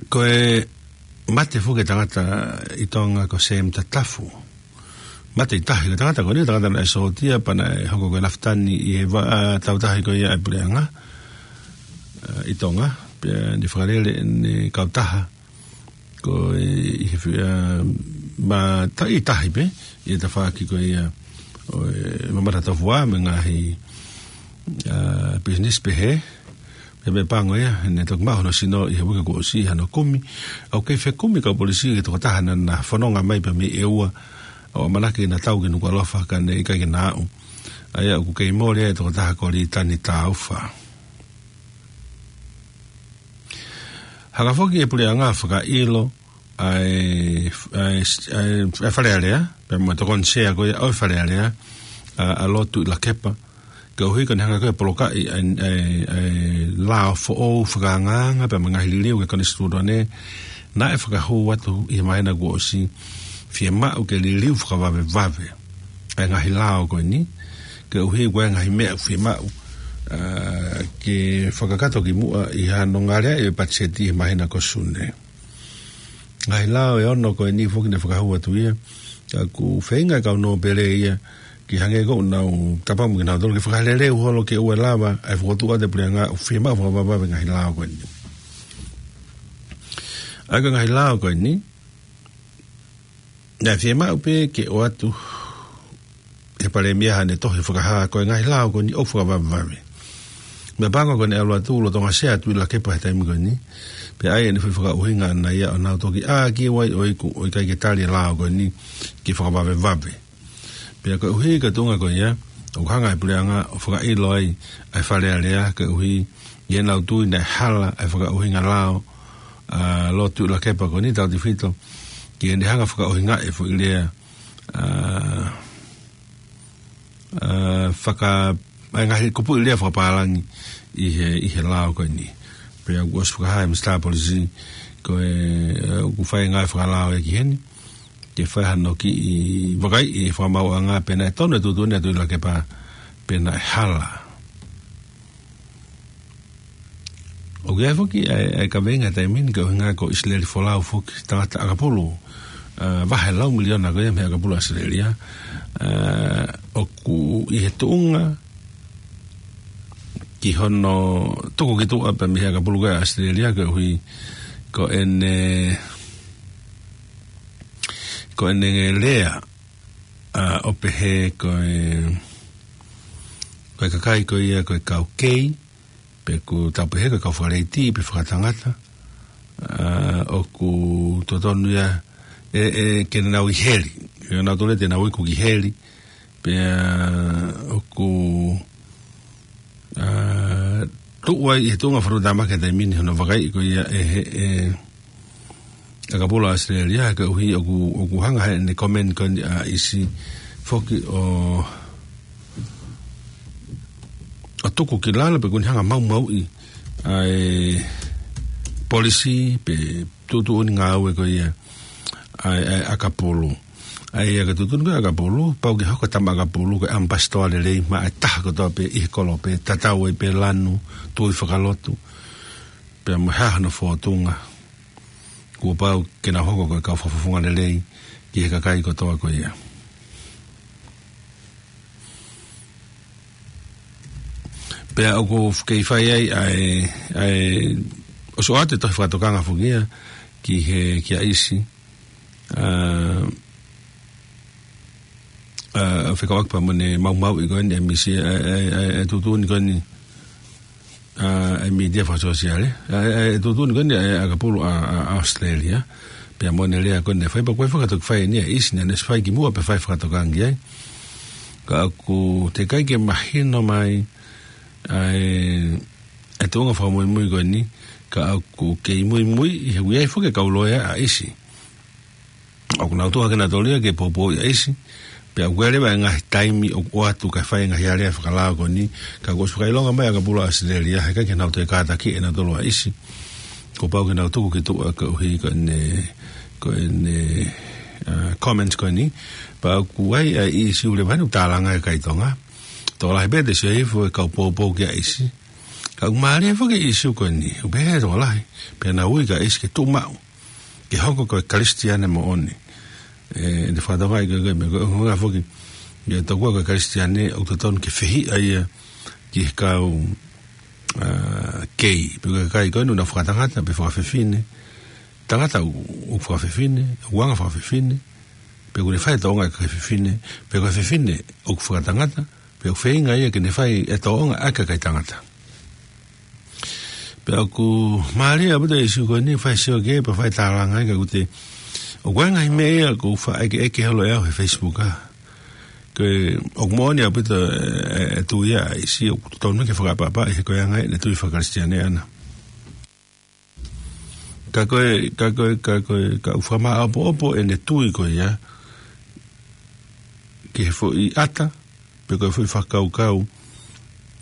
Ko e mate foki e tangata ʻi Tonga ko Sam Tatafu. Mate ʻi tahi, ko e tangata ko eni, tangata naʻe sōtia pea naʻe hoko ko e lafitani ʻi he vaʻa tautahi ko ia ʻa e puleʻanga, ʻa, ʻi Tonga, pea ne fakalele ʻene kautaha, ko e, ʻi he fi-, ʻa, ma ta-, ʻi tahi pē, ʻi he tafaʻaki ko ia ʻo e mamata tofuʻa mo e ngaahi, ʻa, business pehē, pea mo e pango ia, ne toki maʻu hono sino ʻi he uike kuo ʻosi ʻi hano kumi. ʻOku kei fekumi e kau polisi ki he tokotaha naʻa na fononga mai pea mei ʻEua, ʻo ʻamanaki ke na tau ki Nukuʻalofa ka ne ʻikai ke na aʻu. ʻA ia ʻoku kei mole ai e tokotaha ko Litani Taufa. Hanga foki e puleʻanga ʻo fakaʻilo ʻa e, ʻa e, ʻa e, ʻa e Fale Alea, pea mo e tokoni sea ko ia ʻo e Fale Alea, ʻa, ʻa Lord Tuʻilakepa, koeʻuhi ko ʻene hanga ko ia ʻo polokaʻi ʻa e, ʻa e, ʻa e lao foʻou fakaangaanga pea mo e ngaahi liliu ki he konisitūtone naʻe fakahū atu ʻi he māhina kuo ʻosi, fiemaʻu ke liliu fakavavevave ʻa e ngaahi lao ko eni, koeʻuhi ko e ngaahi meʻa fiemaʻu, ʻa, ke fakakakato ki muʻa ʻi hano ngāueʻi e patiseti he māhina ko Sune. Ngaahi lao ʻe ono ko eni foki ne fakahū atu ia, ka ʻoku feinga e kau nōpele ia, ke hangē ko ʻenau tapamu kinautolu ke fakaleleu holo ke ʻoua lava ʻa e fokotuʻu ʻa e puleʻanga ʻo fiemaʻu fakavavevave ngaahi lao ko eni. ʻA ia ko e ngaahi lao ko eni, naʻe fiemaʻu pē ke ʻoatu ʻe he palēmia haʻane tohi fakahā ko e ngaahi lao ko eni ʻoku fakavavevave. Meʻapango ko ʻene ʻalu atu lolotonga sea Tuʻilakepa he taimi ko eni, pea ʻai ʻene foʻi fakaʻuhinga ʻana ia ʻo nau toki ʻā ki ai ʻo iku ʻo ʻikai ke tali e lao ko eni ke fakavavevave. Pea koeʻuhi ko e tuʻunga ko ia, ʻoku hanga e puleʻanga ʻo fakaʻilo ai ʻa e Fale Alea koeʻuhi ʻi heʻenau tui naʻe hala ʻa e fakaʻuhinga lao ʻa Lord Tuʻilakepa ko eni tautefito ki heʻene hanga ʻo fakaʻuhingaʻi e foʻi lea, ʻa, ʻa, faka-, ʻa e ngaahi kupuʻi lea fakapālangi ʻi he, ʻi he lao ko eni. Pea ʻoku ʻosi fakahā ʻe he Minisitā Polisi ko e, ʻa, ʻoku fai e ngāue fakalao ia ki heni, ke fai hano kiʻi vakaiʻi e fakamaauʻanga pe naʻe tonu e tuʻutuʻuni ʻa Tuʻilakepa pe naʻe hala. ʻOku ʻi ai foki ʻa e, ʻa e kaveinga he taimi ni ko e ʻuhinga ko ʻIsileli Folau foki, tangata ʻakapulu, ʻa, vahe lau miliona ko ia mei he ʻakapulu ʻAositelēlia, ʻa, ʻoku ʻi he tuʻunga ki hono tuku ki tuʻa pē mei he ʻakapulu ko ia ʻAositelēlia koeʻuhi ko ʻene, ko ʻene lea, ʻa, ʻo pehē ko e, ko e kakai ko ia ko e kau kei, pe ʻoku tau pehē ko e kau fakaleiti pe fakatangata, ʻa, ʻoku totonu ia ʻe, ʻe, ke nau ʻi heli. ʻE nau tole te nau iku ki heli, pea ʻoku, ʻa, tuʻu ai ʻi he tuʻunga fakanatula ke taimi ni hono vakaiʻi ko ia ʻe he, ʻe, ʻakapulu ʻAositelēlia, koeʻuhi ʻoku, ʻoku hanga heʻene comment ko eni ʻa ʻIsi foki ʻo, ʻo tuku ki lalo pe ʻoku ne hanga ʻo maumauʻi ʻa e polisi pe tuʻutuʻuni ngāue ko ia ʻa e, ʻa e ʻakapulu. ʻA ia ko e tuʻutuʻuni ko ia ʻakapulu, pau ke hoko e tama ʻakapulu ko e ʻamipasitoa lelei maʻa e taha kotoa pē ʻi he kolo pē, tatau ai pē lanu, tui fakalotu, pea mo e hā hano fōtunga. Kuo pau ke nau hoko ko e kau fakafofonga lelei ki he kakai kotoa ko ia. Pea ʻoku kei fai ai ʻa e, ʻa e, ʻosi ʻoatu e tohi fakatokanga foki ia ki he, kia ʻIsi, ʻa, ʻa, fekauʻaki pea mo ʻene maumauʻi ko eni ʻa e misi, ʻa, ʻa, ʻa, ʻa e tuʻutuʻuni ko eni, ʻa, ʻa e mītia fakasōsiale, ʻa, ʻa, ʻa e tuʻutuʻuni ko eni ʻa e ʻakapulu ʻa, ʻa, ʻAositelēlia, pea mo ʻene lea ko eni naʻe fai pea ko e fakatoki fai eni ʻa ʻIsi naʻa ne fai ki muʻa pea fai fakatokanga ki ai. Ka ʻoku teʻeki ai ke mahino mai ʻa e, ʻa e tuʻunga fakamuimui ko eni, ka ʻoku kei muimui ʻi he ʻoku ʻi ai foki e kau loea ʻa ʻIsi. ʻOku nau tuʻu hake nautolu ia ke poupouʻi ʻa ʻIsi, pea ʻoku ʻi ai leva e ngaahi taimi ʻoku ʻoatu kae fai e ngaahi alea fakalao ko eni, ka kuo ʻosi fakaʻilonga mai ʻa e ʻakapulu ʻAositelēlia, he ʻikai ke nau toe kātakiʻi ʻe nautolu ʻa ʻIsi. Kuo pau ke nau tuku ki tuʻa koeʻuhi ko ʻene, ko ʻene, ʻa, comment ko eni, pea ʻoku ʻi ai ʻa e ʻisiū leva ʻoku tālanga ʻe he kakai Tonga. Tokolahi pē te sio hifo e kau poupou kia ʻIsi. Ka ʻoku mālie foki e ʻisiū ko eni, ʻoku pehē ʻe he tokolahi, pea nau ui kia ʻIsi ke tuʻu maʻu ke hoko ko e Kalisitiane moʻoni. ʻE, ʻene fakatokangaʻi ko e, ko e, ko e ʻuhinga foki, ʻe, tokua ko e Kalisitiane, ʻoku totonu ke fehiʻa ia ki he kau, ā, kei, pe ko e kakai ko ē ʻoku nau fakatangata, pe fakafefine, tangata ʻoku, ʻoku fakafefine, ʻoku anga fakafefine, pe ʻoku ne fai tōʻonga ʻa e kakai fefine, pe ko e fefine ʻoku fakatangata, pe ʻoku feinga ia ke ne fai e tōʻonga ʻa e kakai tangata. Pea ʻoku mālie ʻaupito e ʻīsiu ko eni, fai sio ki ai, pea fai tālanga ai, ka ʻoku te, ʻoku ʻi ai e ngaahi meʻa ia ʻoku faʻa ʻekeʻeke holo ʻe au he Facebook, ā. Ko e, ʻoku moʻoni ʻaupito e, e, e tui ʻa ʻIsi, ʻoku totonu ke fakaʻapaʻapaʻi he ko e anga ia ʻene tui faka-Kalisitiane ʻana. Ka ko e, ka ko e, ka ko e, ka ʻoku fakamāʻopoʻopo ʻene tui ko ia, ki he foʻi ʻata, pe ko e foʻi fakakaukau,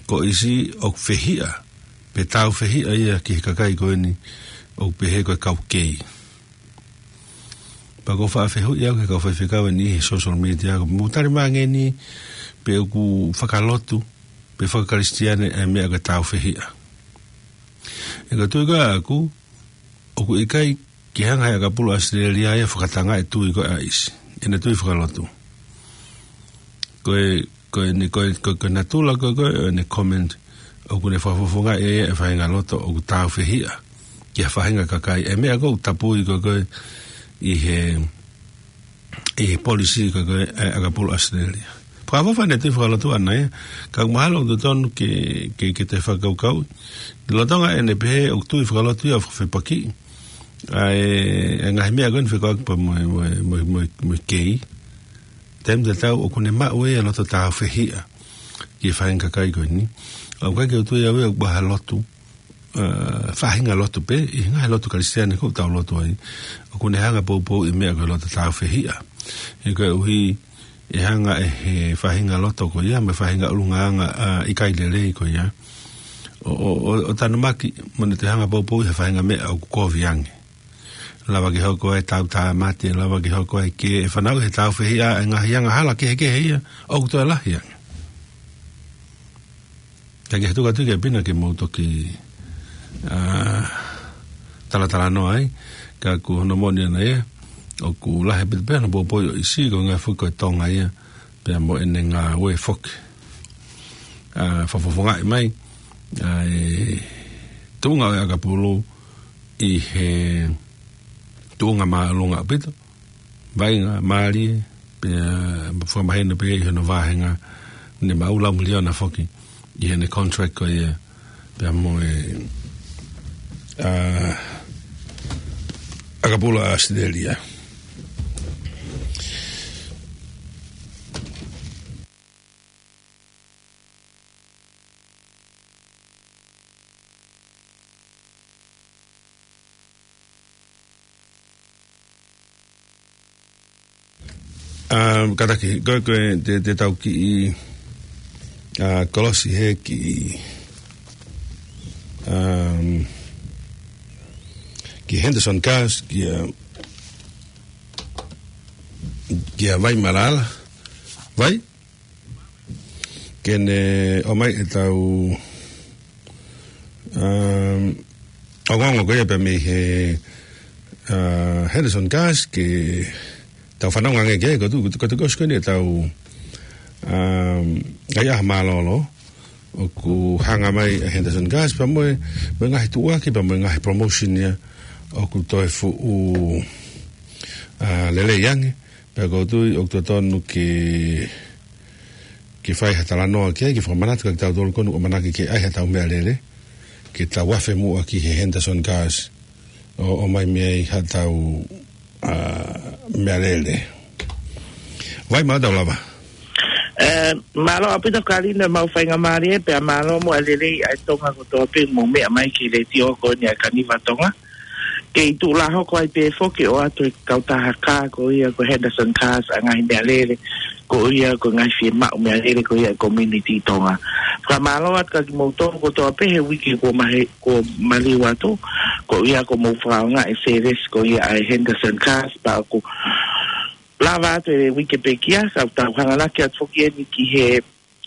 ko ʻIsi ʻoku fehiʻa, pe tāufehiʻa ia ki he kakai ko eni, ʻoku pehē ko e kau kei. Pea ʻoku ou faʻa fehuʻi au ki he kau faifekau eni he social media, ʻoku mou tali mai ange ni, pe ʻoku fakalotu, pe faka-Kalisitiane ʻa e meʻa ko e tāufehiʻa. ʻE ka tui ko ē ʻaʻaku, ʻoku ʻikai ke hanga ʻe he ʻakapulu ʻAositelēlia ia ʻo fakatangaʻi e tui ko ē ʻa ʻIsi, ʻene tui fakalotu. Ko e, ko ʻene, ko e, ko e, ko e natula ko ē, ko ē ʻene comment, ʻoku ne fakafofongaʻi ʻe ia e faʻahinga loto ʻoku tāufehiʻa ki ha faʻahinga kakai. ʻA e meʻa ko ē ʻoku tapui ko ē, ko ē ʻi he ʻi he policy ko ē ʻa e ʻakapulu ʻAositelēlia. Fakaʻofoʻofa ʻene tui fakalotu ʻana ia, ka ʻoku mahalo ʻoku totonu ke, ke, ke toe fakakaukauʻi. Lolotonga ʻene pehē ʻoku tui fakalotu ia ʻo fakafepakiʻi ʻa e, e ngaahi meʻa ko eni fekauʻaki pea mo e, mo e, mo e, mo e, mo e kei. Taimi tatau ʻoku ne maʻu ʻe ia e loto tāufehiʻa ki he faʻahinga kakai ko eni. ʻOku ʻikai ke u tui au ia ʻoku ʻi ai ha lotu, ā, faʻahinga lotu pē, ʻi he ngaahi lotu Kalisitiane ʻoku tau lotu ai, ʻoku ne hanga ʻo poupouʻi e meʻa ko e loto tāufehiʻa. He koeʻuhi ʻe hanga ʻe he faʻahinga loto ko ia, mo e faʻahinga ʻulungaanga, ā, ʻikai lelei ko ia, ʻo, ʻo, ʻo, ʻo tanumaki, mo ne toe hanga ʻo poupouʻi ha faʻahinga meʻa ʻoku kovi ange. Lava ke hoko ai e tau tāmate, lava ke hoko ai e kē, ʻe fanauʻi ʻe he tāufehiʻa e ngaahi angahala kehekehe ia ʻoku toe lahi ange. Ka ke hatu atu ki ai pē na ke mou toki, ā, talatalanoa ai, ka ko hono moʻoni ʻana ia, ʻoku lahi ʻaupito pē hono poupouʻi ʻo ʻIsi, ko e ngaahi foki ko e Tonga ia, pea mo ʻene ngāue foki. Ā, fakafofongaʻi mai ʻa e tuʻunga ʻo e ʻakapulu ʻi he tuʻunga māʻolunga ʻaupito, vaʻinga mālie, pea fakamahino pē ʻi hono vāhenga, ne maʻu lau miliona foki ʻi heʻene contract ko ia, pea mo e, ā, ʻakapulu ʻAositelēlia. Um, kātaki, ko e, ko e, te, te tau kiʻi, ā, kolosi he kiʻi, um, ki Henderson Gas, ki, ā, ki Vai Malala. Vai? Ke ne ʻomai ʻetau, um, ongoongo ko ia pea mei he, ā, Henderson Gas ke tau fanongo ange ki ai, ko tu, ko tu, ko tu, ko tu, ko eni ʻetau, um, ʻaiʻaha mālōlō, ʻoku hanga mai ʻa Henderson Gas, pea mo e, mo e ngaahi tuʻuaki, pea mo e ngaahi promotion ia, ʻoku toe fuʻu, ā, lelei ange, pea ʻoku ou tui ʻoku totonu ke, ke fai ha talanoa ki ai, ke fakamanatu kia kitautolu ko eni ʻoku ʻamanaki ke ʻai haʻatau meʻalele, ke tau afe muʻa ki he Henderson Gas, ʻo, ʻomai mei ai haʻatau, ā, meʻalele. Vai, mālō tau lava. Ē, mālō ʻaupito Kalina, mau faingamālie, pea mālō mo e lelei ʻa e Tonga kotoa pē ʻoku mou meʻa mai ki he letiō ko eni ʻa e Kaniva Tonga. Kei tuʻu lā hoko ai pē foki ʻo ʻoatu e kautaha kā ko ia ko e Henderson Cars ʻa e ngaahi meʻalele, ko ia ko e ngaahi fiemaʻu meʻalele ko ia ʻa e community Tonga. Fakamālō atu kia kimoutolu kotoa pē he uike kuo mahe-, kuo maliu atu, ko ia kuo mou fakaʻaongaʻi e service ko ia ʻa e Henderson Cars, pea ʻoku lava atu e uike pekia, ka tau hanganaki atu foki eni ki he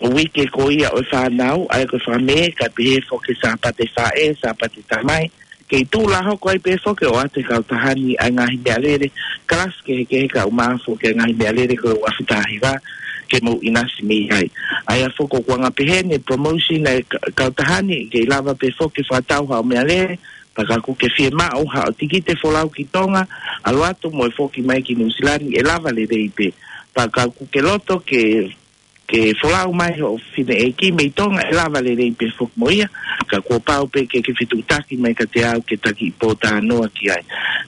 uike ko ia ʻo e fānau, ʻa ia ko e fakamē, kae pehē foki Sāpate faʻē, Sāpate tamai, Kei tuʻu lā hoko ai pē foki ʻo ʻoatu ʻe he kautaha ni ʻa e ngaahi meʻalele kalasi kehekehe kae ʻumaʻā foki e ngaahi meʻalele ko e ua afe taha hiva ke mou ʻinasi mei ai. ʻA ia foki ʻoku anga pehē ni e promotion ʻa e ka-, kautaha ni, kei lava pē foki ke fakatau haʻo meʻalele, pea kapau ʻoku ke fiemaʻu haʻo tikite folau ki Tonga, ʻalu atu mo e foki mai ki Nuʻusila ni ʻe lava lelei pē. Pea kapau ʻoku ke loto ke ke folau mai hoʻo fineʻeiki mei Tonga ʻe lava lelei pē foki mo ia, ka kuo pau pē ke ke fetuʻutaki mai kiate au ke taki pōtalanoa ki ai.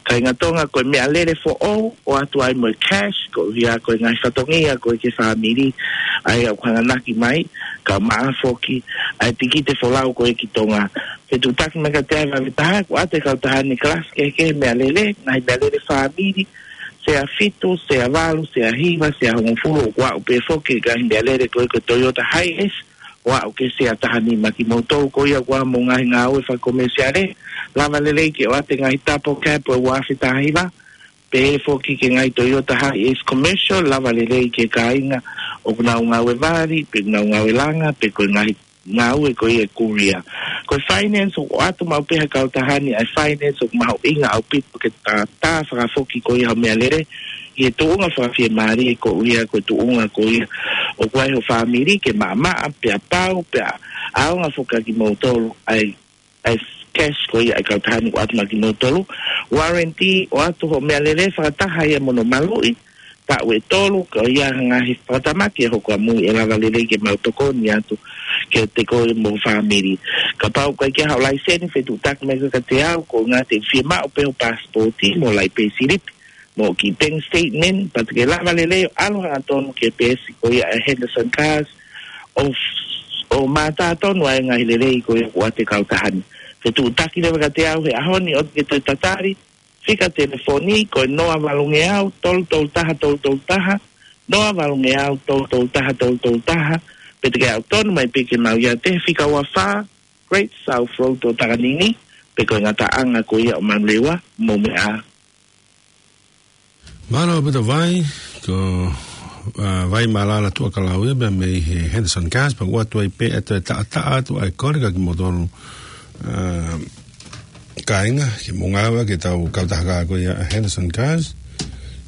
Kāinga Tonga, ko e meʻalele foʻou ʻoatu ai mo e cash, koeʻuhi ko e ngaahi fatongia ko ē ki he fāmili ʻa ia ʻoku hanganaki mai, kae ʻumaʻā foki ʻa e tikite folau ko ē ki Tonga. Fetuʻutaki mai kiate au he vave taha, ʻoku ʻoatu ʻe he kautaha ni kalasi kehekehe meʻalele, ngaahi meʻalele fāmili, sea fitu, sea valu, sea hiva, sea hongofulu, ʻoku aʻu pē foki ki he ngaahi meʻalele ko ē ko e Toyota Hiace, ʻo aʻu ki he sea taha nima. Kimoutolu ko ia ʻoku ʻi ai mo e ngaahi ngāue fakakomesiale, lava lelei ke ʻoatu e ngaahi double cab ʻo e ua afe taha hiva, pehē foki ki he ngaahi Toyota Hiace commercial, lava lelei ki he kāinga ʻoku nau ngāue vali, pe nau ngāue langa, pe ko e ngaahi ngāue ko ia e courier. Ko e finance ʻoku ʻoatu maʻu pē ʻe he kautaha ni ʻa e finance ʻoku mahuʻinga ʻaupito ke ta, ta fakafoki ko ia haʻo meʻalele ʻi he tuʻunga fakafiemālie, koeʻuhi ko e tuʻunga ko ia ʻoku ʻi ai hoʻo fāmili ke maʻamaʻa pea pau pea ʻaonga foki kimoutolu ʻa e, ʻa e cash ko ia ʻa e kautaha ni ʻoku ʻoatu maʻa kimoutolu. Warranty ʻoatu hoʻo meʻalele fakataha ia mo hono maluʻi taʻu ʻe tolu, ko ia ngaahi fakatamaki ʻe hoko ʻamui ʻe lava lelei ke mau tokoni atu kiate koe mo ho fāmili. Kapau ʻoku ʻikai ke ʻi ai haʻo laiseni, fetuʻutaki mai kiate au, ko e ngaahi te fiemaʻu pē hoʻo pasipoti mo e laipesilipi mo e kiʻi bank statement, pea te ke lava lelei ʻo ʻalu hangatonu ki he peesi ko ia ʻa e Henderson Cars ʻo, ʻo mātā tonu ʻa e ngaahi lelei ko ia ʻoku ʻoatu ʻe he kautaha ni. Fetuʻutaki leva kiate au he ʻaho ni ʻo te ke toe tatali, fika telefoni ko e noa valungeau tolu tolu taha tolu tolu taha, noa valungeau tolu tolu taha tolu tolu taha, pe te ke aʻu tonu mai pē ke mau ʻiate he fika ua fā Great South Road ʻo Takanini, pe ko e ngataʻanga ko ia ʻo Manurewa, mou meʻa ā. Mālō ʻaupito Vai, ko, ā, Vai Mālala Tuʻakalau ia pea mei he Henderson Cars, pea ʻoku ʻoatu ai pē ʻa e taʻataʻa atu ʻa e kole kia kimoutolu, ā, kāinga, ke mou ngāueʻaki ʻetau kautaha ko ia ʻa e Henderson Cars,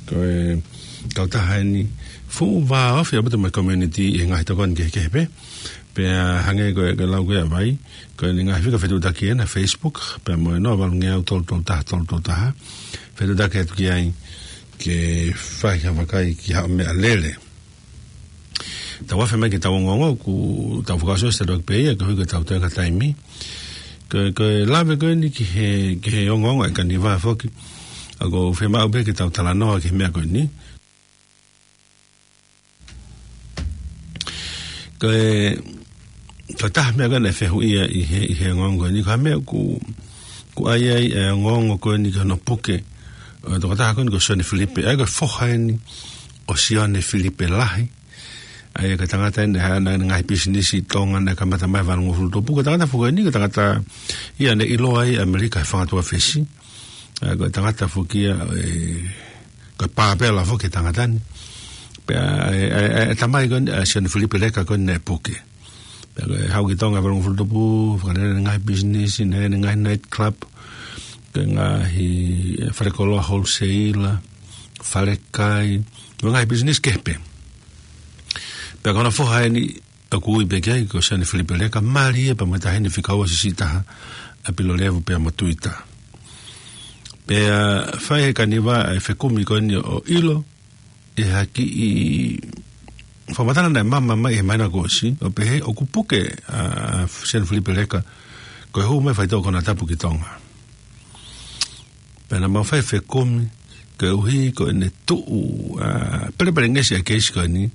ko e kautaha eni fuʻu vāofi ʻaupito mo e community ʻi he ngaahi tokoni kehekehe pē, pea hangē ko e, ko e lau ko ia ʻa Vai, ko e ngaahi fika fetuʻutaki ena Facebook, pea mo e noa valungeau tolu tolu taha tolu tolu taha, fetuʻutaki atu ki ai ke fai ha vakai ki haʻo meʻalele. Tau afe mai ki heʻetau ongoongo, ʻoku tau fakaʻosi ʻosi tau pē ia, koeʻuhi ko ʻetau toe ʻi ai e taimi. Ko, ko e lave ko eni ki he, ki he ongoongo ʻa e Kaniva foki, ʻa ia ʻoku fiemaʻu pē ke tau talanoa ki he meʻa ko eni. Ko e, ko e taha meʻa ko ē naʻe fehuʻia ʻi he, ʻi he ongoongo ko eni, ko e hā e meʻa ʻoku, ʻoku ʻi ai ʻa e ongoongo ko eni ki hono puke ʻo e tokotaha ko eni ko Sione Filipe, ʻa ia ko e foha eni ʻo Sione Filipe Lahi. ʻA ia ko e tangata eni naʻe ʻi ai ʻene ngaahi pisinisi ʻi Tonga, naʻe kamata mai valungofulu tupu. Ko e tangata foki eni, ko e tangata ia naʻe ʻiloa ai ʻi ʻAmelika he fanga tuʻa fesi. ʻA ia ko e tangata foki ia, ē, ko e pāpela foki e tangata ni. Pea, ē, ē, ē, ʻa e tamai ko eni, ʻa Sione Filipe Leka ko eni naʻe puke. Pea ko e haʻu ki Tonga he valungofulu tupu, fakalele ʻene ngaahi pisinisi, naʻe ʻi ai ʻene ngaahi night club, ko e ngaahi, ē, falekoloa wholesale, falekai, mo e ngaahi pisinisi kehe pē. Pea ko hono foha eni, ʻoku ui pē ki ai ko Sione Filipe Leka, mālie pea mo e taʻahine fika ua siʻisiʻi taha, ʻa Pilolevu pea mo Tuita. Pea fai ʻe he Kaniva ʻa e fekumi ko eni ʻo ʻilo ʻi ha kiʻi fakamatala naʻe maama mai he māhina kuo ʻosi, ʻo pehē ʻoku puke ʻa Sione Filipe Leka ko e hū mai e faitoʻo konatapu ki Tonga. Pea naʻa mau fai e fekumi, koeʻuhi ko ʻene tuʻu, ā, pelepelengesi ʻa e keisi ko eni,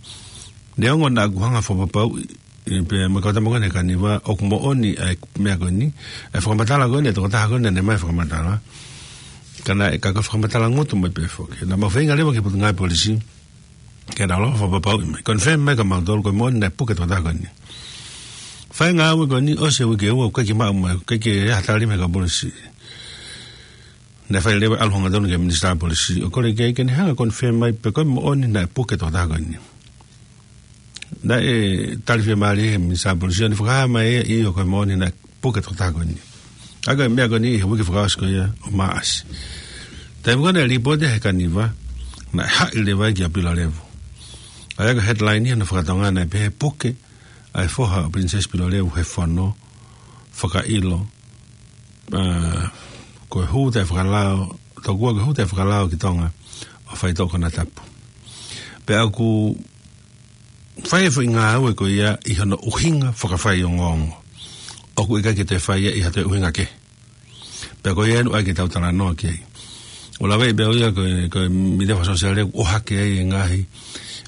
neongo naʻa ku hanga ʻo fakapapauʻi, ē, pea mo e kau tama ko eni ʻa e Kaniva, ʻoku moʻoni ʻa e meʻa ko eni, ʻa e fakamatala ko eni ʻa e tokotaha ko eni naʻa ne ʻomai e fakamatala. Ka naʻe, ka ko e fakamatala ngutu mai pē foki. Naʻa mau feinga leva ki he Potungāue Polisi ke nau lava ʻo fakapapauʻi mai, confirm mai kia mautolu ko e moʻoni naʻe puke e tokotaha ko eni. Fai e ngāue ko eni, ʻosi e uike ʻe ua, ʻoku ʻikai ke maʻu mai, ʻikai ke ʻi ai ha tali mei he kau polisi. Naʻe fai leva e ʻalu hangatonu ki he Minisitā Polisi ʻo kole ki ai ke ne hanga ʻo confirm mai pe ko e moʻoni naʻe puke e tokotaha ko eni. Naʻe tali fiemālie ʻe he Minisitā Polisi ʻo ne fakahā mai ʻe ia ʻoku moʻoni naʻe puke e tokotaha ko eni. ʻA ia ko e meʻa ko eni he uike fakaʻosi ko ia ʻo Maʻasi. Taimi ko ē naʻe lipooti he Kaniva, naʻe haʻi leva ia kia Pilolevu. ʻA ia ko e headline ia hono faka-Tonga naʻe pehē: Puke ʻa e foha ʻo Princess Pilolevu he fono, fakaʻilo, ā, ko e hū taʻefakalao, tokua ko e hū taʻefakalao ki Tonga ʻo faitoʻo konatapu. Pea ʻoku fai e foʻi ngāue ko ia ʻi hono ʻuhinga fakafaiongoongo. ʻOku ʻikai ke toe fai ia ʻi ha toe ʻuhinga kehe. Pea ko ia ʻoku ʻai ke tau talanoa ki ai. ʻO lave pē ʻo ia ko e, ko e mītia fakasōsiale ʻoku ʻohake ai e ngaahi,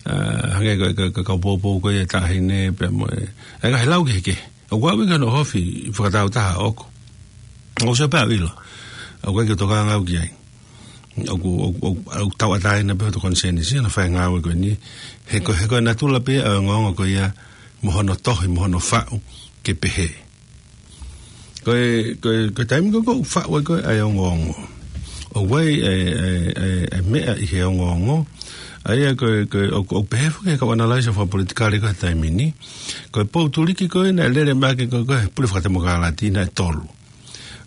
ā, hangē ko e, ko e, ko e kau poupou ko ia ʻa e taʻahine pea mo e, e ngaahi lau kehekehe. ʻOku ou ʻi hono ʻohofi fakatāutaha ʻoʻoku. ʻOku ou sio pē ʻo ʻilo. ʻOku ʻikai ke u tokanga au ki ai. ʻOku, ʻoku, ʻoku, ʻoku tauʻatāina pē hoto konisēnisi, hono fai e ngāue ko eni. He ko, he ko e natula pē ʻo e ongoongo ko ia, mo hono tohi, mo hono faʻu, ke pehē. Ko e, ko e, ko e taimi ko ē ʻoku faʻu ai ko ē ʻa e ongoongo. ʻOku ʻi ai e, e, e, e meʻa ʻi he ongoongo. ʻA ia ko e, ko e, ʻoku, ʻoku pehē foki ʻe he kau ʻanalaiso fakapolitikale ko ē he taimi ni. Ko e pou tuliki ko ē naʻe lele mai ʻaki ko ē ko e pule fakatemokalati naʻe tolu.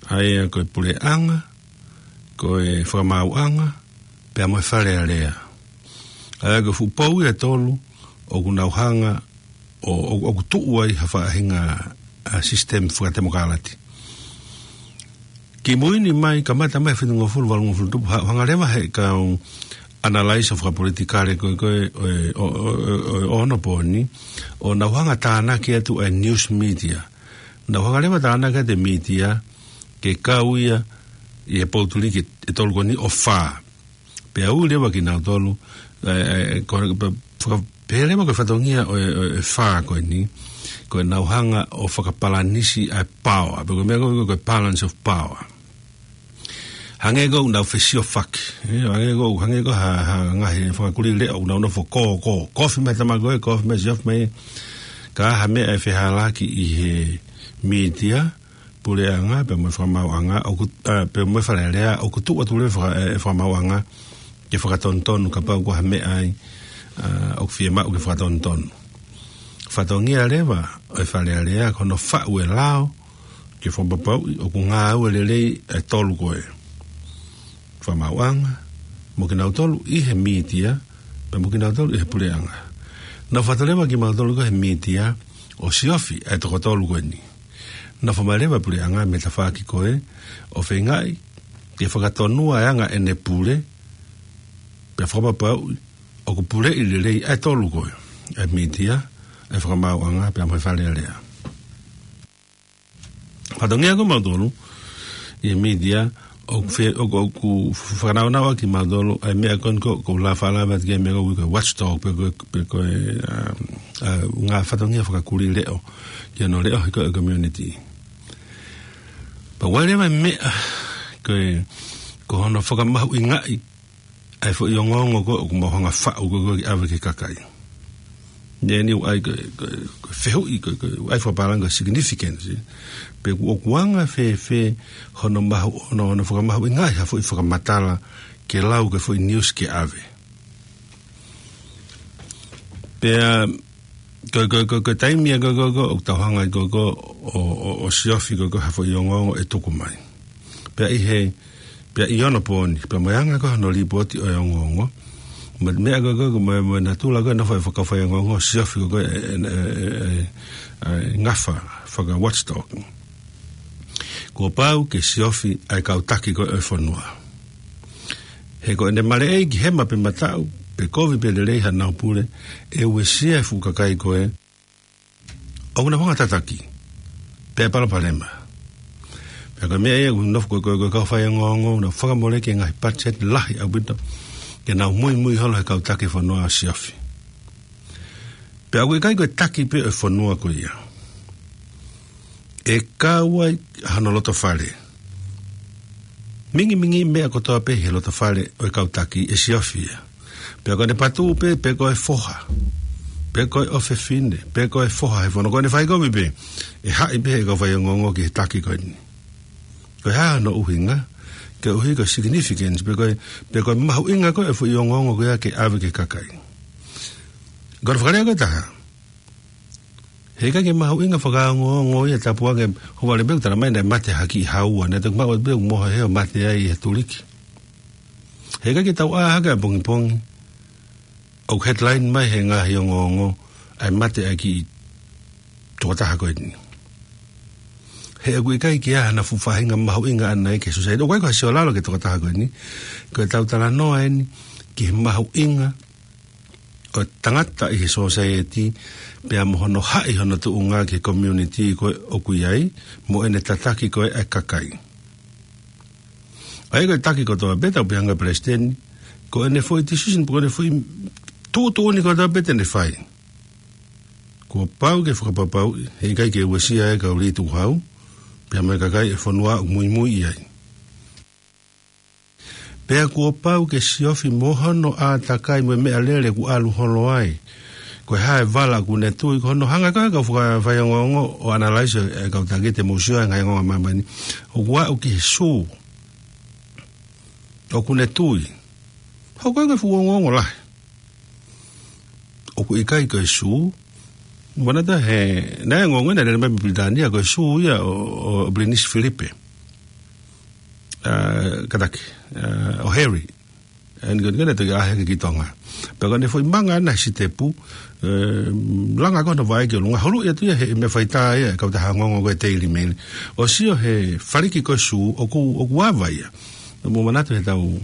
ʻA ia ko e puleʻanga, ko e fakamaauʻanga, pea mo e Fale Alea. ʻA ia ko e fuʻu pou ia ʻe tolu, ʻoku nau hanga, ʻo, ʻo, ʻoku tuʻu ai ha faʻahinga, ā, sisitemi fakatemokalati. Kimui ni mai, kamata mai he fitungofulu, valungofulu tupu, ha-, hanga leva he kau ʻanalaiso fakapolitikale ko ē, ko ē, ʻo, ʻo, ʻo, ʻo, ʻo onopooni, ʻo nau hanga tānaki atu e news media. Nau hanga leva tānaki atu e mītia, ke kau ia ʻi he pou tuliki ʻe tolu ko eni ʻo fā. Pea ui leva kinautolu, e, e, ko, pe, faka-, pehē leva ko e fatongia ʻo e, ʻo e fā ko eni, ko e nau hanga ʻo fakapalanisi ʻa e paoa, pe ko e meʻa ko e, ko e balance of power. Hangē ko ʻenau fesiofaki, e, hangē ko, hangē ko ha, ha ngaahi fanga kulī leʻo ʻoku nau nofo kō, kō, kofi mai tama ko ē, kofi mai Siofi mai, ka ʻi ai ha meʻa ʻe fehālaaki ʻi he mītia, puleʻanga, pea mo e fakamaauʻanga, ʻoku, ā, pea mo e Fale Alea, ʻoku tuʻu atu leva e faka-, e, e fakamaauʻanga, ke fakatonutonu kapau ko ha meʻa ai, ā, ʻoku fiemaʻu ke fakatonutonu. Fatongia leva ʻo e Fale Alea, ko hono faʻu e lao, ke fakapapauʻi ʻoku ngāue lelei e tolu ko ē. Fakamaauʻanga, mo kinautolu ʻi he mītia, pea mo kinautolu ʻi he puleʻanga. Nau fatu leva kimautolu ko ē he mītia, ʻo siofi e toko tolu ko eni. Nofo mai leva e puleʻanga mei he tafaʻaki ko ē, ʻo feingaʻi ke fakatonua e anga ʻene pule, pea fakapapauʻi ʻoku puleʻi lelei e tolu ko ē, e mītia, e fakamaauʻanga, pea mo e Fale Alea. Fatongia ko mautolu ʻi he mītia, ʻoku fe-, ʻoku, ʻoku fakanaunau ʻaki mautolu ʻa e meʻa ko eni ko, ko e lava lava ki he meʻa ko e watchdog, pe ko, pe ko e, um, ā, ngaahi fatongia fakakulī leʻo, ki hono leʻohi ko ē e community. Pea ʻoku ʻi ai leva e meʻa, ko e, ko hono fakamahuʻingaʻi ʻa e foʻi ongoongo ko ē ʻoku mau hanga ʻo faʻu ko ē ke ʻave ki he kakai. Naʻe ʻi ai ko e, ko e, ko e fehuʻi ko ē, ko e, ʻa e fakapālangi ko e significance. Pe ʻoku, ʻoku anga fēfē hono mahu, hono, hono fakamahuʻingaʻi ha foʻi fakamatala ke lau ki he foʻi news ke ʻave. Pea, ko, ko, ko, ko e taimi ia ko, ko, ko, ʻoku tau hanga ai ko, ko, ʻo, ʻo, ʻo siofi ko, ko, ha foʻi ongoongo ʻe tuku mai. Pea ʻi he, pea ʻi onopooni, pea mo e anga ko ē hono lipooti ʻo e ongoongo. Mo e meʻa ko, ko, ko, mo e, mo e natula ko ē hono fai, fakafaiongoongo, siofi ko, ko, e, e, e, e, e ngafa, faka-watchdog. Kuo pau ke siofi ʻa e kau taki ko ē ʻo e fonua. He ko ʻene maleʻei ki hema pe mataʻu, pe kovi pe lelei haʻanau pule, ʻe uesia e fuʻu kakai ko ē, ʻoku nau hanga ʻo tataki, pea palopalema. Pea ko e meʻa ia ʻoku nofo ko, ko, ko e kau faiongoongo, nau fakamoleki e ngaahi patiseti lahi ʻaupito, ke nau muimui holo he kau taki fonua ʻo siofi. Pea ʻoku ʻikai ko e taki pē ʻo e fonua ko ia. ʻE kau ai hano loto fale. Mingimingi meʻa kotoa pē he loto fale ʻo e kau taki ʻe siofi ia. Pea ko ʻene patū pē, pe ko e foha, pe ko e ʻofefine, pe ko e foha he fono, ko ʻene fai kovi pē, ʻe haʻi pē he kau faiongoongo ki he taki ko eni. Ko e hā hono ʻuhinga, koeʻuhi ko e significance, pe ko e, pe ko e mahuʻinga ko ē e foʻi ongoongo ko ia ke ʻave ki he kakai. Ko hono fakalea ko ē ʻe taha. He ʻikai ke mahuʻinga fakaongoongo ia, tapu ange, ʻoku vale pē ʻoku tala mai naʻe mate ha kiʻi haua, naʻe toki maʻu pē ʻoku mohe he ʻo mate ai he tuliki. He ʻikai ke tau ʻā hake ʻa pongipongi ʻoku headline mai he ngaahi ongoongo ʻa e mate ʻa e kiʻi tokotaha ko eni. He ʻoku ʻikai ke ʻi ai hano fuʻu faʻahinga mahuʻinga ʻana ia ki he society. ʻOku ʻikai ko ha siolalo ki he tokotaha ko eni. Ko e tau talanoa eni ki he mahuʻinga ʻo e tangata ʻi he society, pea mo hono haʻi hono tuʻunga ki he community ko ē ʻoku ʻi ai, mo ʻene tataki ko ē ʻa e kakai. ʻA ia ko e taki kotoa pē, tau pehē ange ki he palesiteni, ko ʻene foʻi decision, pe ko ʻene foʻi tuʻutuʻuni kotoa pē te ne fai, kuo pau ke fakapapauʻi he ʻikai ke uesia e kau lī tukuhau, pea mo e kakai ʻo e fonua ʻoku muimui ʻi ai. Pea kuo pau ke siofi mo hono ʻātakai mo e meʻalele ʻoku ʻalu holo ai. Ko e hā e vala ʻoku ne tui, ko hono hanga ko ē ʻe he kau fakafaiongoongo ʻo analyze e kau taki te mou sio he ngaahi ongoongo ʻa māmani. ʻOku aʻu ki he sū ʻoku ne tui. Hoko ʻa e fuʻu ongoongo lahi. ʻOku ʻikai ko e sū. Manatuʻi he, naʻe ongoongo naʻe lele mai mei Pilitānia ko e sū ia ʻo, ʻo Pilinisi Filipe. ʻA, kātaki, ʻa, ʻo Harry. ʻA eni ko eni naʻe toki ʻaʻahi hake ki Tonga. Pea ko ʻene foʻi manga ʻana he sitepu, ē, langa ko hono vaʻe ki ʻolunga. Huluʻi atu ia he meʻa faitā ia e kautaha ongoongo ko e Daily Mail. ʻO sio he faliki ko e sū, ʻoku, ʻoku ava ia. Mou manatu he tau